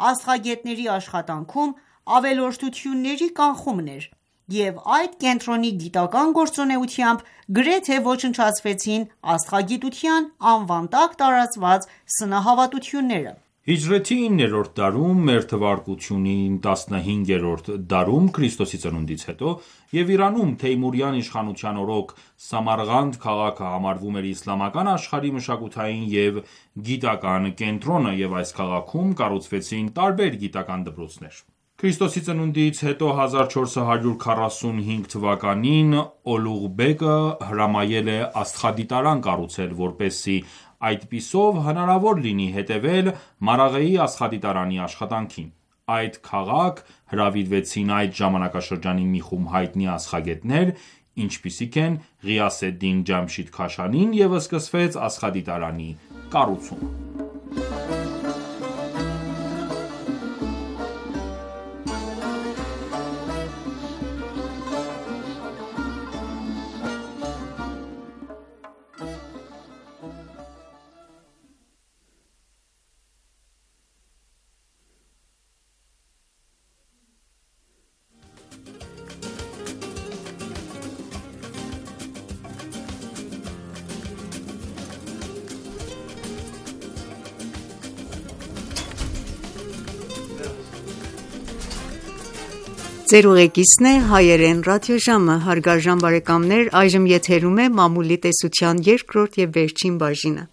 S6: աստղագետների աշխատանքում ավելորդությունների կանխումն էր, և այդ կենտրոնի գիտական գործունեությամբ գրեթե ոչնչացվեցին աստղագիտության անվան տակ տարածված սնահավատությունները։
S1: Հիջրեթի 9-րդ դարում մ.թ. 15-րդ դարում Ք.ծ. հետո և Իրանում Թեյմուրյան իշխանության օրոք Սամարղանդ քաղաքը համարվում էր իսլամական աշխարհի մշակութային և գիտական կենտրոնը, և այս քաղաքում կառուցվեցին տարբեր գիտական դպրոցներ։ Ք.ծ. հետո 1445 թվականին Օլուղբեկը հրամայել է աստղադիտարան կառուցել, որպեսզի այդպիսով հնարավոր լինի հետևել Մարաղեի աստղադիտարանի աշխատանքին։ Այդ քաղաք հրավիրվեցին այդ ժամանակաշրջանի մի խումբ հայտնի աստղագետներ, ինչպիսիք են Ղիասեդդին Ջամշիդ Քաշանին, և սկսվեց աստղադիտարանի կառուցումը։
S2: Մամուլի տեսության երկրորդ և վերջին բաժինը։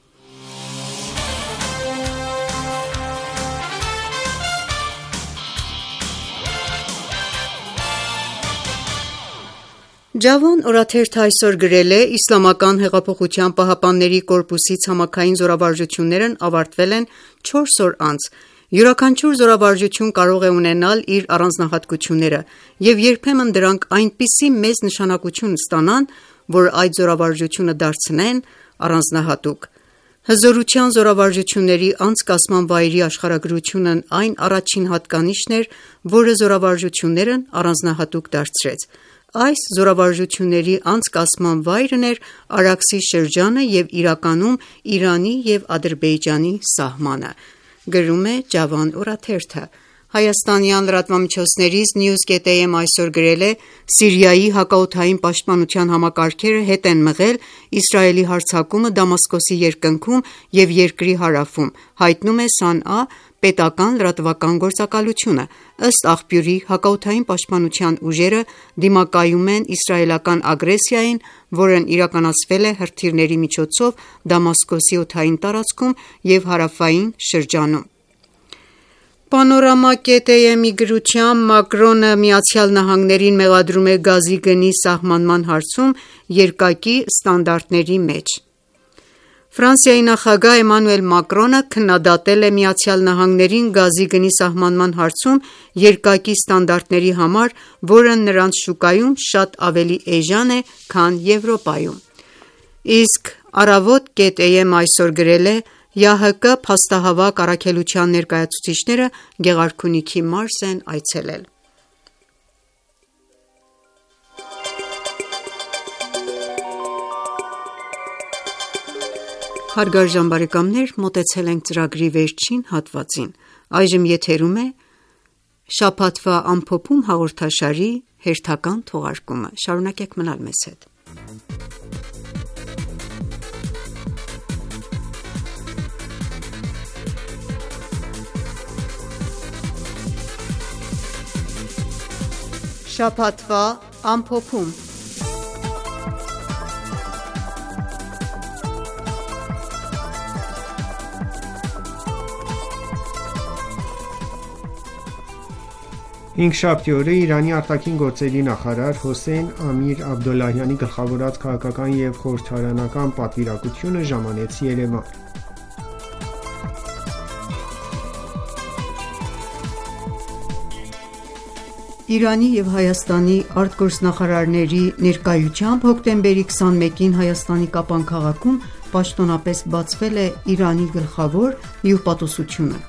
S2: Ջավոն օրաթերթը այսօր գրել է. «Իսլամական հեղափոխության պահապանների կորպուսի ցամաքային զորավարժություններն ավարտվել են 4 օր անց։ Յուրաքանչյուր զորավարժություն կարող է ունենալ իր առանձնահատկությունները, և երբեմն դրանք այնպիսի մեծ նշանակություն ստանան, որ այդ զորավարժությունը դարձնեն առանձնահատուկ։ Հզորության զորավարժությունների անցկացման վայրի աշխարհագրությունն այն առաջին հատկանիշն էր, որը զորավարժություններն առանձնահատուկ դարձրեց։ Այս զորավարժությունների անցկացման վայրն էր Արաքսի շրջանը և իրականում Իրանի և Ադրբեջանի սահմանը»։ Գրում է Ջավան օրաթերթը։ Հայաստանյան լրատվամիջոցներից News.am այսօր գրել է. «Սիրիայի հակաօդային պաշտպանության համակարգերը հետ են մղել Իսրայելի հարձակումը Դամասկոսի երկնքում և երկրի հարավում», հայտնում է Սանա պետական լրատվական գործակալությունը։ Ըստ աղբյուրի, հակաօդային պաշտպանության ուժերը դիմակայում են իսրայելական ագրեսիային, որն իրականացվել է հրթիռների միջոցով Դամասկոսի օդային տարածքում և հարավային շրջանում։ Panorama.am-ի գրությամբ Մակրոնը ԱՄՆ-ին մեղադրում է գազի գնի սահմանման հարցում երկակի ստանդարտների մեջ։ Ֆրանսիայի նախագահ Էմանուել Մակրոնը քննադատել է ԱՄՆ-ին գազի գնի սահմանման հարցում երկակի ստանդարտների համար, որը նրանց շուկայում շատ ավելի էժան է, քան Եվրոպայում։ Իսկ Առավոտ.am այսօր գրել է. «ՀՀԿ փաստահավաք առաքելության ներկայացուցիչները Գեղարքունիքի մարզ են այցելել»։ Մոտեցել ենք ծրագրի վերջին հատվածին։ Այժմ եթերում է «Շաբաթվա ամփոփում» հաղորդաշարի հերթական թողարկումը։ Շարունակեք մնալ մեզ հետ։ Շաբաթվա ամփոփում։
S7: Հինգշաբթի օրը Իրանի արտաքին գործերի նախարար Հոսեյն Ամիր Աբդոլլահյանի գլխավորած քաղաքական և խորհրդարանական պատվիրակությունը ժամանեց Երևան։
S2: Իրանի և Հայաստանի արտգործնախարարների ներկայությամբ հոկտեմբերի 21-ին Հայաստանի Կապան քաղաքում պաշտոնապես բացվել է Իրանի գլխավոր հյուպատոսությունը։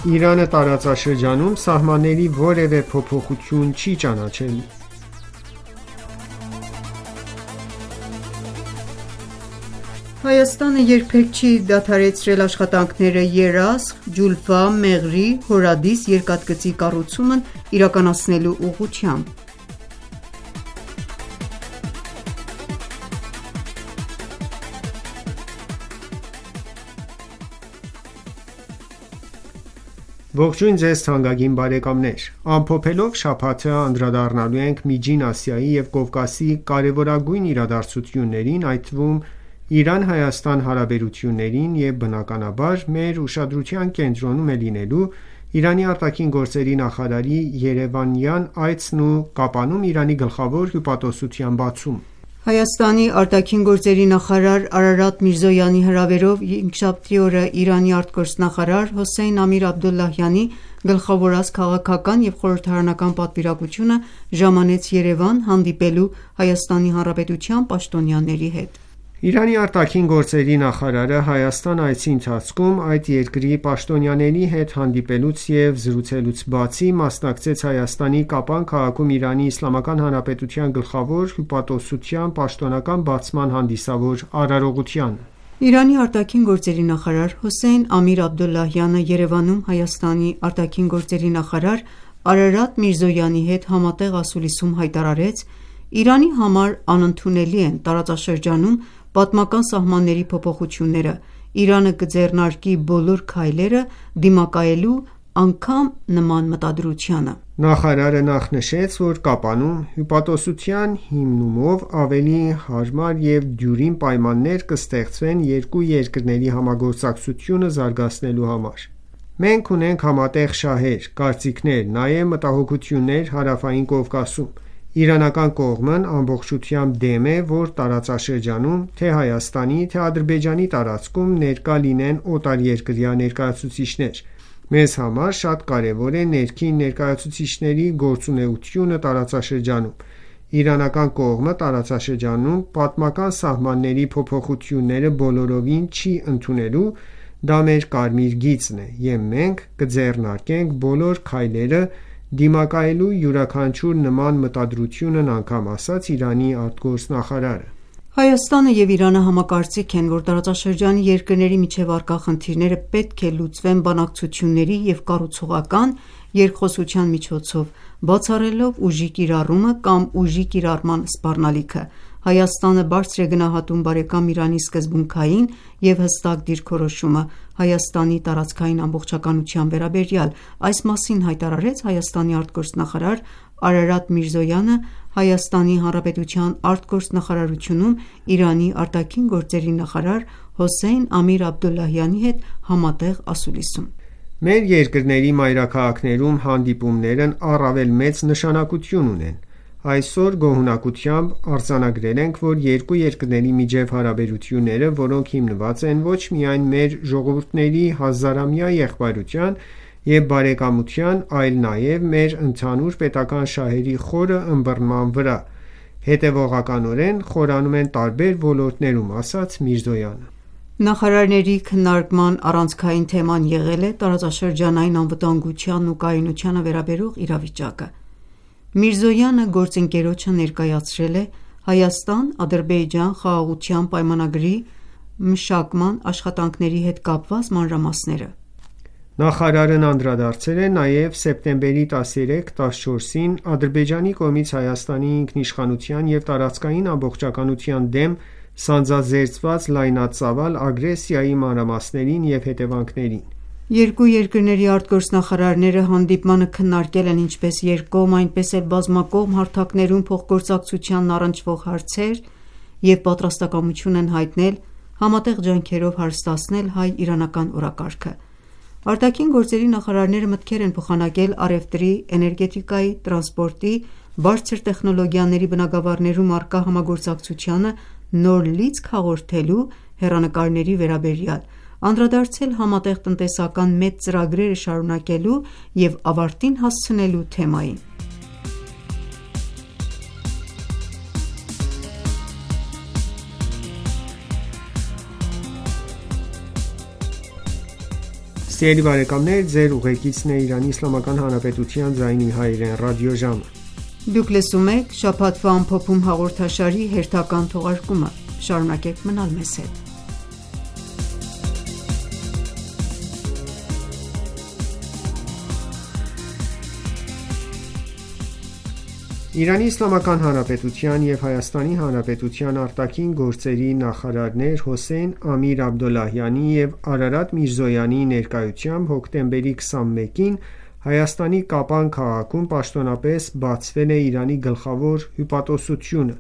S7: Իրանը տարածաշրջանում սահմանների որևէ փոփոխություն չի ճանաչելու։
S2: Հայաստանը երբեք չի դադարեցրել աշխատանքները Երասխ, Ջուլֆա, Մեղրի, Հորադիս երկաթգծի կառուցումն իրականացնելու ուղղությամբ։
S7: Ողջույն ձեզ թանկագին բարեկամներ: Ամփոփելով շաբաթը անդրադառնալու ենք Միջին Ասիայի և Կովկասի կարևորագույն իրադարձություններին, այդ թվում Իրան-Հայաստան հարաբերություններին և բնականաբար մեր ուշադրության կենտրոնում է լինելու Իրանի ԱԳ նախարարի երևանյան այցն ու Կապանում Իրանի գլխավոր հյուպատոսության բացումը։
S2: Հայաստանի ԱԳ նախարար Արարատ Միրզոյանի հրավերով հինգշաբթի օրը Իրանի արտգործնախարար Հոսեյն Ամիր-Աբդոլլահյանի գլխավորած քաղաքական և խորհրդարանական պատվիրակությունը ժամանեց Երևան հանդիպելու ՀՀ պաշտոնյաների հետ։
S7: Իրանի ԱԳ նախարարը Հայաստան այցի ընթացքում այդ երկրի պաշտոնյաների հետ հանդիպելուց և զրուցելուց բացի, մասնակցեց Հայաստանի Կապան քաղաքում ԻԻՀ գլխավոր հյուպատոսության պաշտոնական բացման հանդիսավոր արարողությանը։
S2: Իրանի ԱԳ նախարար Հոսեյն Ամիր-Աբդոլլահյանը Երևանում Հայաստանի ԱԳ նախարար Արարատ Միրզոյանի հետ համատեղ ասուլիսում հայտարարեց. «Իրանի համար անընդունելի են տարածաշրջանում պատմական սահմանների փոփոխությունները, Իրանը կձեռնարկի բոլոր քայլերը դիմակայելու անգամ նման մտադրությանը»։
S7: Նախարարը նախ նշեց, որ Կապանում հյուպատոսության հիմնումով ավելի հարմար և դյուրին պայմաններ կստեղծվեն երկու երկրների համագործակցությունը զարգացնելու համար։ Մենք ունենք համատեղ շահեր, կարծիքներ, նաև մտահոգություններ Հարավային Կովկասում։ Իրանական կողմն ամբողջությամբ դեմ է, որ տարածաշրջանում թե՛ Հայաստանի, թե՛ Ադրբեջանի տարածքում ներկա լինեն օտարերկրյա ներկայացուցիչներ։ Մեզ համար շատ կարևոր է ներքին ներկայացուցիչների գործունեությունը տարածաշրջանում։ Իրանական կողմը տարածաշրջանում պատմական սահմանների փոփոխությունները բոլորովին չի ընդունելու, դա մեր կարմիր գիծն է, և մենք կձեռնարկենք բոլոր քայլերը դիմակայելու յուրաքանչյուր նման մտադրությունն անգամ ասաց Իրանի արտգործնախարարը։
S2: Հայաստանը և Իրանը համակարծիք են, որ տարածաշրջանի երկրների միջև առկա խնդիրները պետք է լուծվեն բանակցությունների և կառուցողական երկխոսության միջոցով, բացառելով ուժի կիրառումը կամ ուժի կիրառման սպառնալիքը։ Հայաստանը բարձր է գնահատում բարեկամ Իրանի սկզբունքային և հստակ դիրքորոշումը Հայաստանի տարածքային ամբողջականության վերաբերյալ։ Այս մասին հայտարարեց Հայաստանի արտգործնախարար Արարատ Միրզոյանը ՀՀ արտգործնախարարությունում Իրանի ԱԳ նախարար Հոսեյն Ամիր-Աբդոլլահյանի հետ համատեղ ասուլիսում։
S7: Մեր երկրների մայրաքաղաքներում հանդիպումներն առավել մեծ նշանակություն ունեն։ Այսօր գոհունակությամբ արձանագրել ենք, որ երկու երկրների միջև հարաբերությունները, որոնք հիմնված են ոչ միայն մեր ժողովուրդների հազարամյա եղբայրության և բարեկամության, այլ նաև մեր ընդհանուր պետական շահերի խորը ըմբռնման վրա, հետևողականորեն խորանում են տարբեր ոլորտներում, ասաց Միրզոյանը։
S2: Նախարարների քննարկման առանցքային թեման եղել է տարածաշրջանային անվտանգությանն ու կայունությանը վերաբերող իրավիճակը։ Միրզոյանը գործընկերոջը ներկայացրել է Հայաստան-Ադրբեջան խաղաղության պայմանագրի մշակման աշխատանքների հետ կապված մանրամասները։
S7: Նախարարն անդրադարձել է նաև սեպտեմբերի 13-14-ին Ադրբեջանի կողմից Հայաստանի ինքնիշխանության և տարածքային ամբողջականության դեմ սանձազերծված լայնածավալ ագրեսիայի մանրամասներին և հետևանքներին։
S2: Երկու երկրների արտգործնախարարները հանդիպմանը քննարկել են ինչպես երկկողմ, այնպես էլ բազմակողմ հարթակներում փոխգործակցությանն առնչվող հարցեր և պատրաստակամություն են հայտնել համատեղ ջանքերով հարստացնել հայ-իրանական օրակարգը։ Արտաքին նախարարները մտքեր են փոխանակել առևտրի, էներգետիկայի, տրանսպորտի, բարձր տեխնոլոգիաների բնագավառներում առկա համագործակցությանը նոր լիցք հաղորդելու հեռանկարների վերաբերյալ, անդրադարձել համատեղ տնտեսական մեծ ծրագրերը շարունակելու և ավարտին հասցնելու թեմային։
S7: Սիրելի բարեկամներ, ձեր ուղեկիցն է Իրանի Իսլամական Հանրապետության ձայնի հայրեն ռադիոժամը։
S2: Դուք լսում եք շաբաթվա ամփոփում հաղորդաշարի հերթական թողարկումը։ Շարունակեք մնալ մեզ հետ։
S7: Իրանի Իսլամական Հանրապետության և Հայաստանի Հանրապետության արտաքին գործերի նախարարներ Հոսեյն Ամիր Աբդոլլահյանի և Արարատ Միրզոյանի ներկայությամբ հոկտեմբերի 21-ին Հայաստանի Կապան քաղաքում պաշտոնապես բացվել է Իրանի գլխավոր հյուպատոսությունը։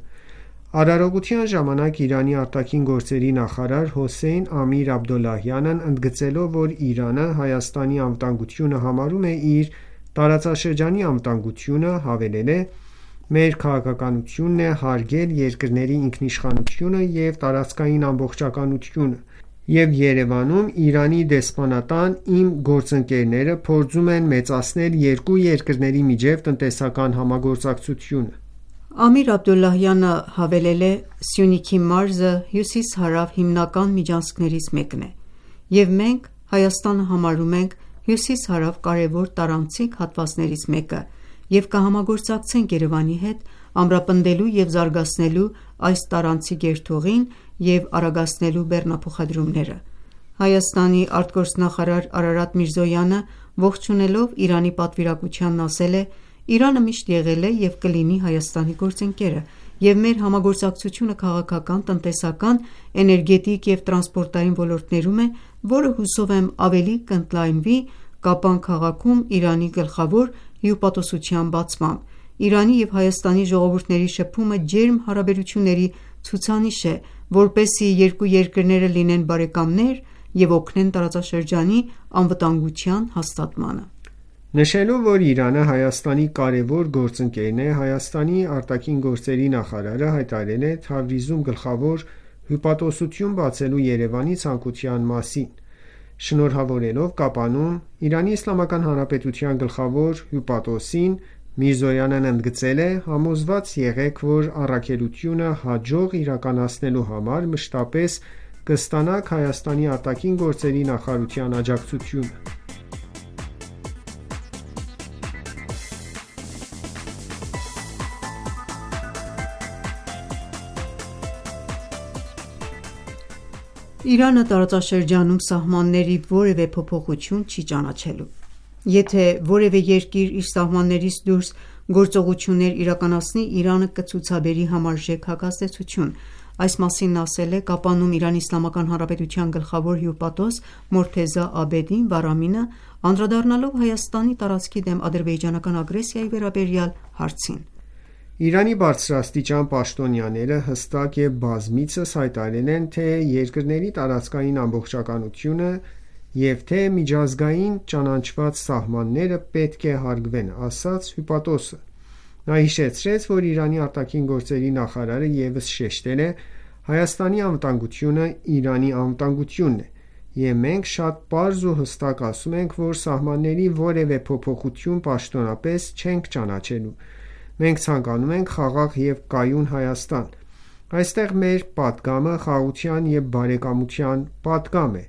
S7: Արարողության ժամանակ Իրանի արտաքին գործերի նախարար Հոսեյն Ամիր Աբդոլլահյանն ընդգծելով, որ Իրանը Հայաստանի անվտանգությունը համարում է իր տարածաշրջանի անվտանգությունը, հավելել է. «Մեր քաղաքականությունն է հարգել երկրների ինքնիշխանությունը և տարածքային ամբողջականությունը, և Երևանում Իրանի դեսպանատան իմ գործընկերները փորձում են մեծացնել երկու երկրների միջև տնտեսական համագործակցությունը»։
S2: Ամիր Աբդոլլահյանը հավելել է. «Սյունիքի մարզը հյուսիս-հարավ հիմնական միջանցքներից մեկն է, և մենք Հայաստանը համարում ենք հյուսիս-հարավ կարևոր տարանցիկ հատվածներից մեկը և կհամագործակցենք Երևանի հետ՝ ամրապնդելու և զարգացնելու այս տարանցիկ երթուղին և արագացնելու բեռնափոխադրումները»։ Հայաստանի արտգործնախարար Արարատ Միրզոյանը ողջունելով Իրանի պատվիրակությանն ասել է. «Իրանը միշտ եղել է և կլինի Հայաստանի գործընկերը, և մեր համագործակցությունը քաղաքական, տնտեսական, էներգետիկ և տրանսպորտային ոլորտներում է, որը հուսով եմ ավելի կընդլայնվի Կապան քաղաքում Իրանի գլխավոր հյուպատոսության բացմամբ։ Իրանի և Հայաստանի ժողովուրդների շփումը ջերմ հարաբերությունների ցուցանիշ է, որպեսզի երկու երկրները լինեն բարեկամներ և օգնեն տարածաշրջանի անվտանգության հաստատմանը»։
S7: Նշելով, որ Իրանը Հայաստանի կարևոր գործընկերն է, Հայաստանի ԱԳ նախարարը հայտարարել է Թավրիզում գլխավոր հյուպատոսություն բացելու Երևանի ցանկության մասին։ Շնորհավորելով Կապանում Իրանի Իսլամական Հանրապետության գլխավոր հյուպատոսին, Միրզոյանն ընդգծել է. «Համոզված եղեք, որ առաքելությունը հաջող իրականացնելու համար մշտապես կստանաք Հայաստանի ԱԳ նախարարության աջակցությունը»։
S2: Իրանը տարածաշրջանում սահմանների որևէ փոփոխություն չի ճանաչելու։ Եթե որևէ երկիր իր սահմաններից դուրս գործողություններ իրականացնի, Իրանը կցուցաբերի համարժեք հակազդեցություն։ Այս մասին նա ասել է Կապանում Իրանի Իսլամական Հանրապետության գլխավոր հյուպատոս Մորթեզա Աբեդին Բարամինը, անդրադառնալով Հայաստանի տարածքի դեմ ադրբեջանական ագրեսիայի վերաբերյալ հարցին։
S7: Իրանի բարձրաստիճան պաշտոնյաները հստակ և բազմիցս հայտարարել են թե երկրների տարածքային ամբողջականությունը և թե միջազգային ճանաչված սահմանները պետք է հարգվեն, ասաց հյուպատոսը։ Նա հիշեցրեց, որ Իրանի ԱԳ նախարարը ևս շեշտել է. «Հայաստանի անվտանգությունը Իրանի անվտանգությունն է, և մենք շատ պարզ ու հստակ ասում ենք, որ սահմանների որևէ փոփոխություն պաշտոնապես չենք ճանաչելու։ Մենք ցանկանում ենք խաղաղ և կայուն Հայաստան։ Այստեղ մեր պատգամը խաղաղության և բարեկամության պատգամ է։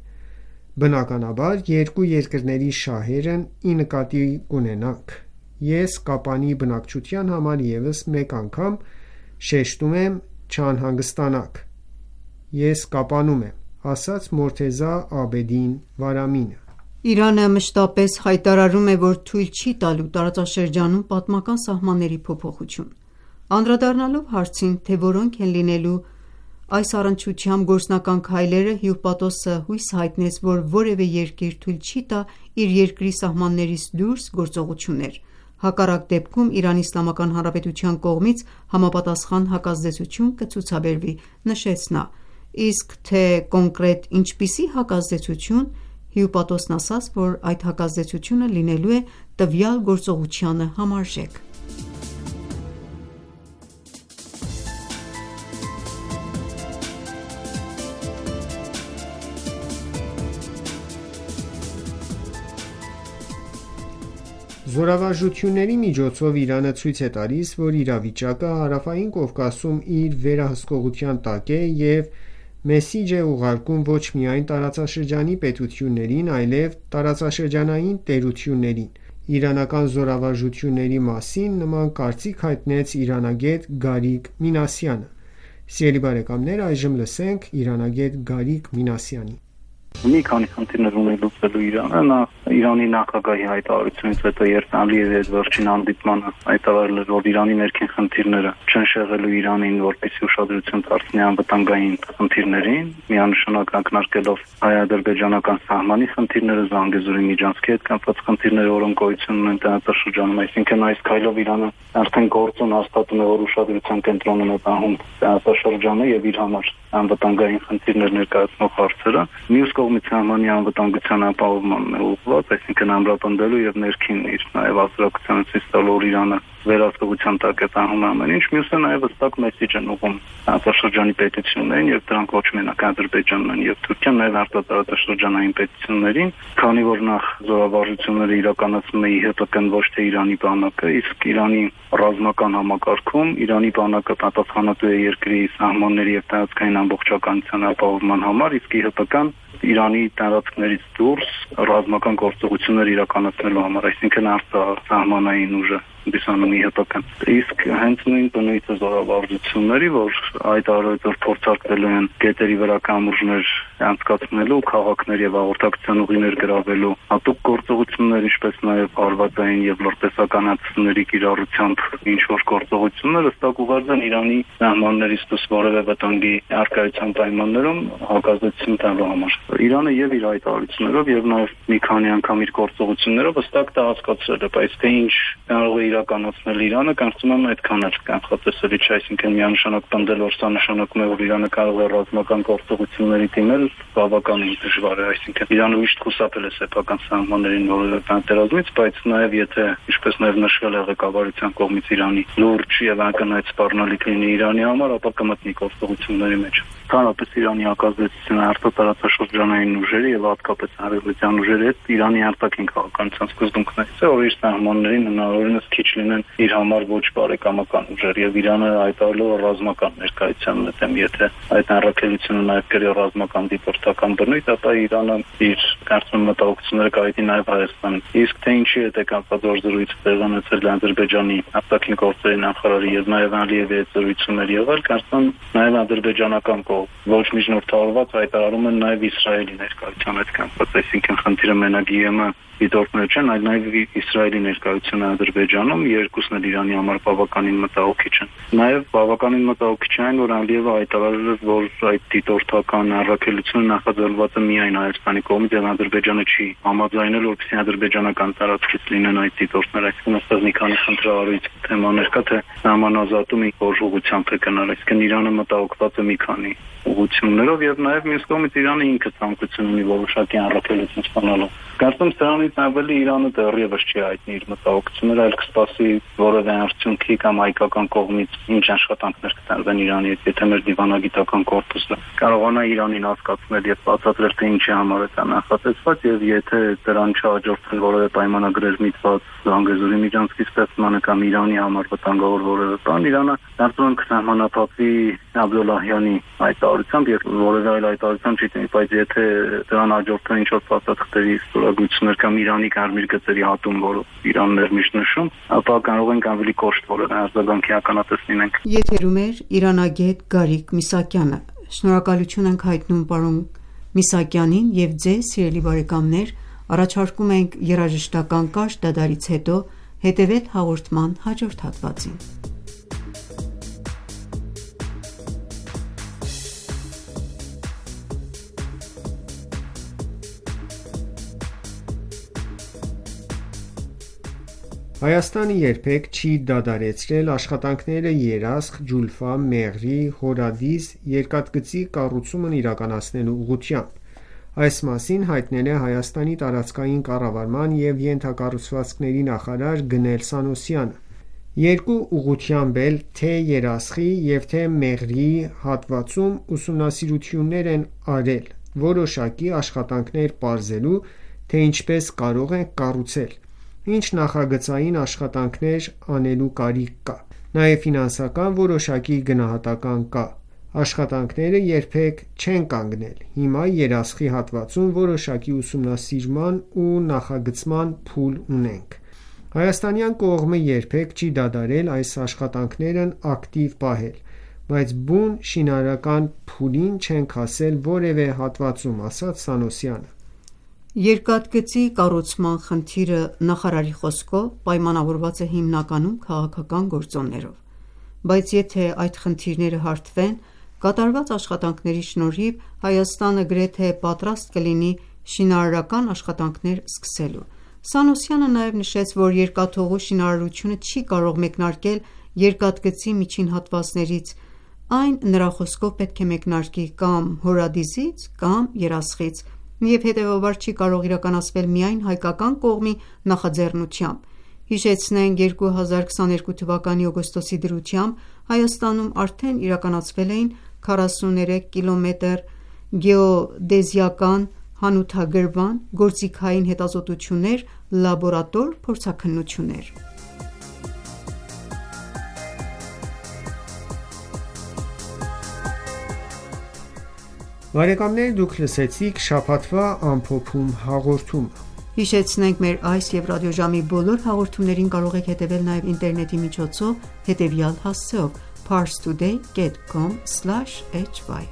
S7: Բնականաբար, երկու երկրների շահերն ի նկատի կունենանք։ Ես Կապանի բնակչության համար ևս մեկ անգամ շեշտում եմ չանհանգստանաք։ Ես Կապանում եմ», ասաց Մորթեզա Աբեդին Բարամինը։
S2: Իրանը մշտապես հայտարարում է, որ թույլ չի տալու տարածաշրջանում պատմական սահմանների փոփոխություն։ Անդրադառնալով հարցին, թե որոնք են լինելու այս առնչությամբ գործնական քայլերը, հյուպատոսը հույս հայտնեց, որ որևէ երկիր թույլ չի տա իր երկրի սահմաններից դուրս գործողություններ։ Հակառակ դեպքում Իրանի Իսլամական Հանրապետության կողմից համապատասխան հակազդեցություն կցուցաբերվի, նշեց նա։ Իսկ թե կոնկրետ ինչպիսի հակազդեցություն, հյուպատոսն ասաց, որ այդ հակազդեցությունը լինելու է տվյալ գործողությանը համարժեք։
S7: Զորավարժությունների միջոցով Իրանը ցույց է տալիս, որ իրավիճակը Հարավային Կովկասում իր վերահսկողության տակ է և մեսիջ է ուղարկում ոչ միայն տարածաշրջանի պետություններին, այլև տարածաշրջանային տերություններին։ Իրանական զորավարժությունների մասին նման կարծիք հայտնեց իրանագետ Գարիկ Մինասյանը։ Սիրելի բարեկամներ, այժմ լսենք իրանագետ Գարիկ Մինասյանին։
S8: Մի քանի խնդիրներ ունի լուծելու Իրանը, նա Իրանի նախագահի հայտարարությունից հետո երբ Ալիևի այդ վերջին հանդիպմանը հայտարարել էր, որ Իրանի ներքին խնդիրները չեն շեղելու Իրանին, որպեսզի ուշադրություն դարձնի անվտանգային խնդիրներին, միանշանակ ակնարկելով հայ-ադրբեջանական սահմանի խնդիրները, Զանգեզուրի միջանցքի հետ կապված խնդիրները, որոնք գոյություն ունեն տարածաշրջանում, այսինքն այս քայլով Իրանը արդեն գործուն հաստատում է, որ ուշադրության կենտրոնում է պահում տարածաշրջանը եւ իր համար անվտանգային խնդիրներ ներկայացնող հարցերը։ Մյուս կողմից սահմանի անվտանգության ապահովմանն է ուղղված, այսինքն ամրապնդելու եւ ներքին իր նաեւ հասարակությանը ցույց տալու, որ Իրանը վերահսկողության տակ է տանում ամեն ինչ, մյուսը նաեւ հստակ մեսիջ են ուղղում տարածաշրջանի պետություններին եւ դրանք ոչ մենակ Ադրբեջանն են եւ Թուրքիան, նաեւ արտատարածաշրջանային պետություններին, քանի որ նախ զորավարժությունները իրականացնում է ԻՀՊԿ-ն ոչ թե Իրանի բանակը, իսկ Իրանի ռազմական համակարգում Իրանի բանակը պատասխանատու է երկրի սահմանների եւ տարածքային ամբողջականության ապահովման համար, իսկ ԻՀՊԿ-ն Իրանի տարածքներից դուրս ռազմական գործողություններ իրականացնելու համար, այսինքն արտասահմանային ուժը դիսանում ԻՀՊԿ-ն։ Իսկ հենց նույն բնույթը զորավարժությունների, որ այդ առօրյա փորձարկվելու են գետերի վրա կամուրջներ անցկացնելու, քաղաքներ եւ հաղորդակցության ուղիներ գրավելու, հատուկ գործողություններ, ինչպես նաեւ հարվածային եւ լրտեսականացումների կիրառությամբ ինչ որ գործողություններ ըստ ուղղված են Իրանի սահմաններից դուրս որևէ վտանգի արկայության պայմաններում հակազդեցություն տալու համար։ Իրանը եւ իր հայտարարություններով եւ նաեւ մի քանի անգամ իր գործողություններով հստակ դա հասկացրել է, բայց թե ինչ կարող է իրականացնել Իրանը, կարծում եմ այդքան էլ կանխատեսելի չէ, այսինքն միանշանակ պնդել, որ սա նշանակում է, որ Իրանը կարող է ռազմական գործողությունների դիմել, բավականին դժվար է, այսինքն Իրանը միշտ խուսափել է սեփական սահմաններին որևէ պատերազմից, բայց նաեւ եթե, ինչպես նաեւ նշվել է ղեկավարության կողմից Իրանի լուրջ եւ ակնհայտ սպառնալիք լինի Իրանի համար, ապա կմտնի գործողությունների մեջ։ Հանրապես Իրանի հակազդեցությունը արտատարածաշրջանային ուժերի եւ հատկապես արևմտյան ուժերի հետ Իրանի արտաքին քաղաքականության սկզբունքներից է, որ իր սահմաններին հնարավորինս քիչ լինեն իր համար ոչ բարեկամական ուժեր եւ Իրանը հայտարարելով ռազմական ներկայության մտեմ, եթե այդ առաքելությունը նաեւ կրի ռազմական դիպորտական բնույթ, ապա Իրանը իր կարծում մտահոգությունները կայացնի նաեւ Հայաստան։ Իսկ թե ինչի հետ է կապված որ զրույցը տեղանացել Ադրբեջանի արտաքին գործերի նախարարի եւ նաեւ Ալիևի հետ զրույցներ եղել, կարծում նաեւ ադրբեջանական ոչ միջնորդավորված հայտարարում են նաև Իսրայելի ներկայության հետ կապված, այսինքն խնդիրը մենակ ԵՄ դիտորդներ չեն, այլ նաև Իսրայելի ներկայությունը Ադրբեջանում, երկուսն էլ Իրանի համար բավականին մտահոգիչ են։ Նաև բավականին մտահոգիչ է այն, որ Ալիևը հայտարարել է, որ այդ դիտորդական առաքելությունը նախաձեռնված է միայն Հայաստանի կողմից եւ Ադրբեջանը չի համաձայնել, որպեսզի ադրբեջանական տարածքից լինեն այդ դիտորդները, այսինքն այստեղ մի քանի խնդրահարույց թեմաներ կա, թե համանազատումը ինչ ուղղությամբ է գնալ, այսինքն Իրանը մտահոգված է մի քանի ուղղություններով եւ նաեւ մյուս կողմից Իրանը ինքը ցանկություն ունի որոշակի առաքելություն ստանալու։ Կարծում սրանից ավելի Իրանը դեռևս չի հայտնի իր մտահոգությունները, այլ կսպասի որևէ արդյունքի կամ հայկական կողմից ինչ աշխատանքներ կտարվեն Իրանի հետ, եթե մեր դիվանագիտական կորպուսը կարողանա Իրանին հասկացնել եւ բացատրել թե ինչի համար է դա նախատեսված եւ եթե դրան չհաջորդեն որևէ պայմանագրեր միտված Զանգեզուրի միջանցքի ստեղծմանը կամ Իրանի համար վտանգավոր որևէ բան, Իրանը կարծում եմ կսահմանափակվի Աբդոլլահյանի հայտարարությամբ եւ որևէ այլ հայտարարությամբ չի տանի, բայց եթե դրան հաջորդեն ինչ որ փաստաթղթերի ստորագրություններ կամ Իրանի կարմիր գծերի հատում, որը Իրանն էր միշտ նշում, ապա կարող ենք ավելի կոշտ որևէ արձագանքի ականատես լինենք։
S2: Եթերում է իրանագետ Գարիկ Միսակյանը։ Շնորհակալություն ենք հայտնում պարոն Միսակյանին եւ ձեզ, սիրելի բարեկամներ, առաջարկում ենք երաժշտական կարճ դադարից հետո հետևել հաղորդման հաջորդ հատվածին։
S7: Հայաստանը երբեք չի դադարեցրել աշխատանքները Երասխ, Ջուլֆա, Մեղրի, Հորադիս երկաթգծի կառուցումն իրականացնելու ուղղությամբ։ Այս մասին հայտնել է Հայաստանի տարածքային կառավարման և ենթակառուցվածքների նախարար Գնել Սանոսյանը։ Երկու ուղղությամբ էլ թե Երասխի և թե Մեղրիի հատվածում ուսումնասիրություններ են արել, որոշակի աշխատանքներ պարզելու, թե ինչպես կարող են կառուցել, ինչ նախագծային աշխատանքներ անելու կարիք կա, նաև ֆինանսական որոշակի գնահատական կա։ Աշխատանքները երբեք չեն կանգնել: Հիմա երասխի հատվածում որոշակի ուսումնասիրման ու նախագծման փուլ ունենք: Հայաստանյան կողմը երբեք չի դադարել այս աշխատանքներն ակտիվ պահել, բայց բուն շինարարական փուլին չենք հասել որևէ հատվածում, ասաց Սանոսյանը:
S2: Երկաթգծի կառուցման խնդիրը նախարարի խոսքով պայմանավորված է հիմնականում քաղաքական գործոններով: Բայց եթե այդ խնդիրները հարթվեն, կատարված աշխատանքների շնորհիվ Հայաստանը գրեթե պատրաստ կլինի շինարարական աշխատանքներ սկսելու: Սանոսյանը նաև նշեց, որ երկաթուղու շինարարությունը չի կարող մեկնարկել երկաթգծի միջին հատվածներից, այն նրա խոսքով պետք է մեկնարկի կամ Հորադիզից կամ Երասխից և հետևաբար չի կարող իրականացվել միայն հայկական կողմի նախաձեռնությամբ: Հիշեցնենք 2022 թվականի օգոստոսի դրությամբ Հայաստանում արդեն իրականացվել էին 43 կմ գեոդեզիական հանութագրման, գործիքային հետազոտություններ, լաբորատոր փորձաքննություններ:
S7: Դուք լսեցիք շաբաթվա ամփոփում հաղորդումը:
S2: Հիշեցնենք մեր այս և ռադիոժամի բոլոր հաղորդումներին կարող եք հետևել նաև ինտերնետի միջոցով հետևյալ հասցեով՝ parstoday.com/hy: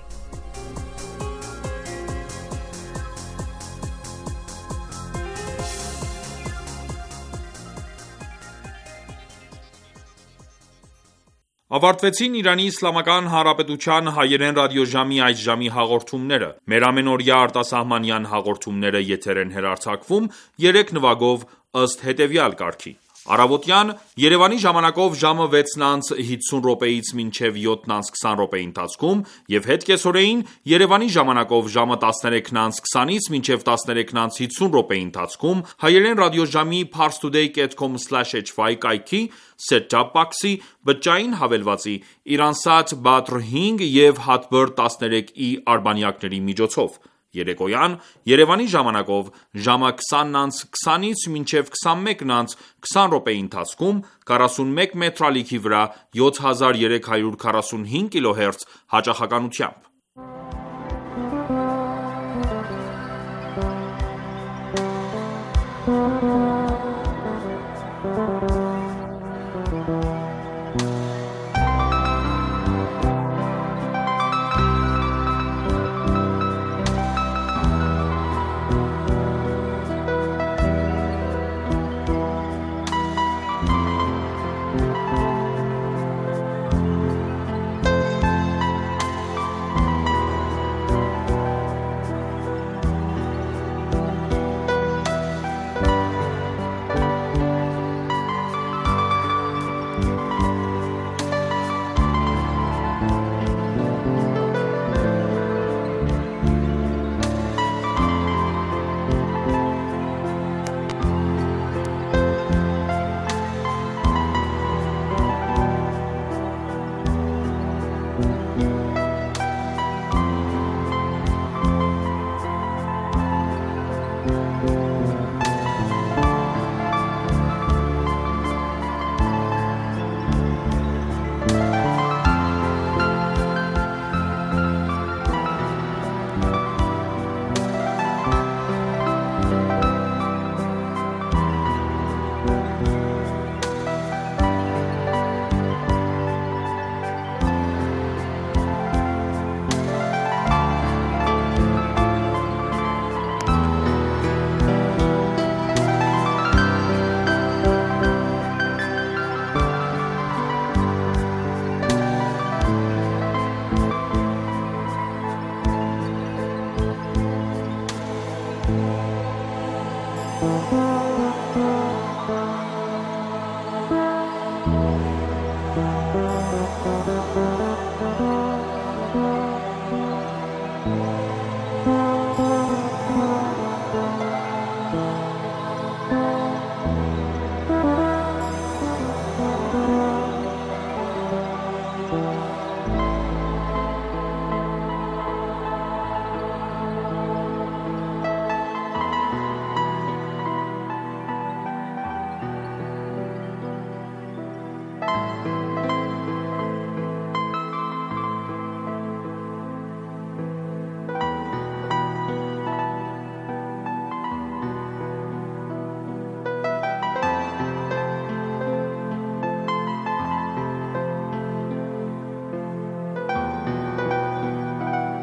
S1: Ավարտվեցին Իրանի Իսլամական Հանրապետության հայերեն ռադիոժամի այս ժամի հաղորդումները: Մեր ամենօրյա արտասահմանյան հաղորդումները եթեր են հեռարձակվում 3 նվագով ըստ հետևյալ կարգի: Առավոտյան Երևանի ժամանակով ժամը 6:50-ից մինչև 7:20 ընթացքում և հետ կեսօրեին Երևանի ժամանակով ժամը 13:20-ից մինչև 13:50 ընթացքում հայերեն ռադիոժամի parstoday.com/hy կայքի set-top box-ի, բջջային հավելվածի, Iransat Badr 5 և Hotbird 13e արբանյակների միջոցով: Երեկոյան Երևանի ժամանակով ժամը 20:20-ից մինչև 21:20 ընթացքում 41 մետրալիքի վրա 7345 կՀz հաճախականությամբ: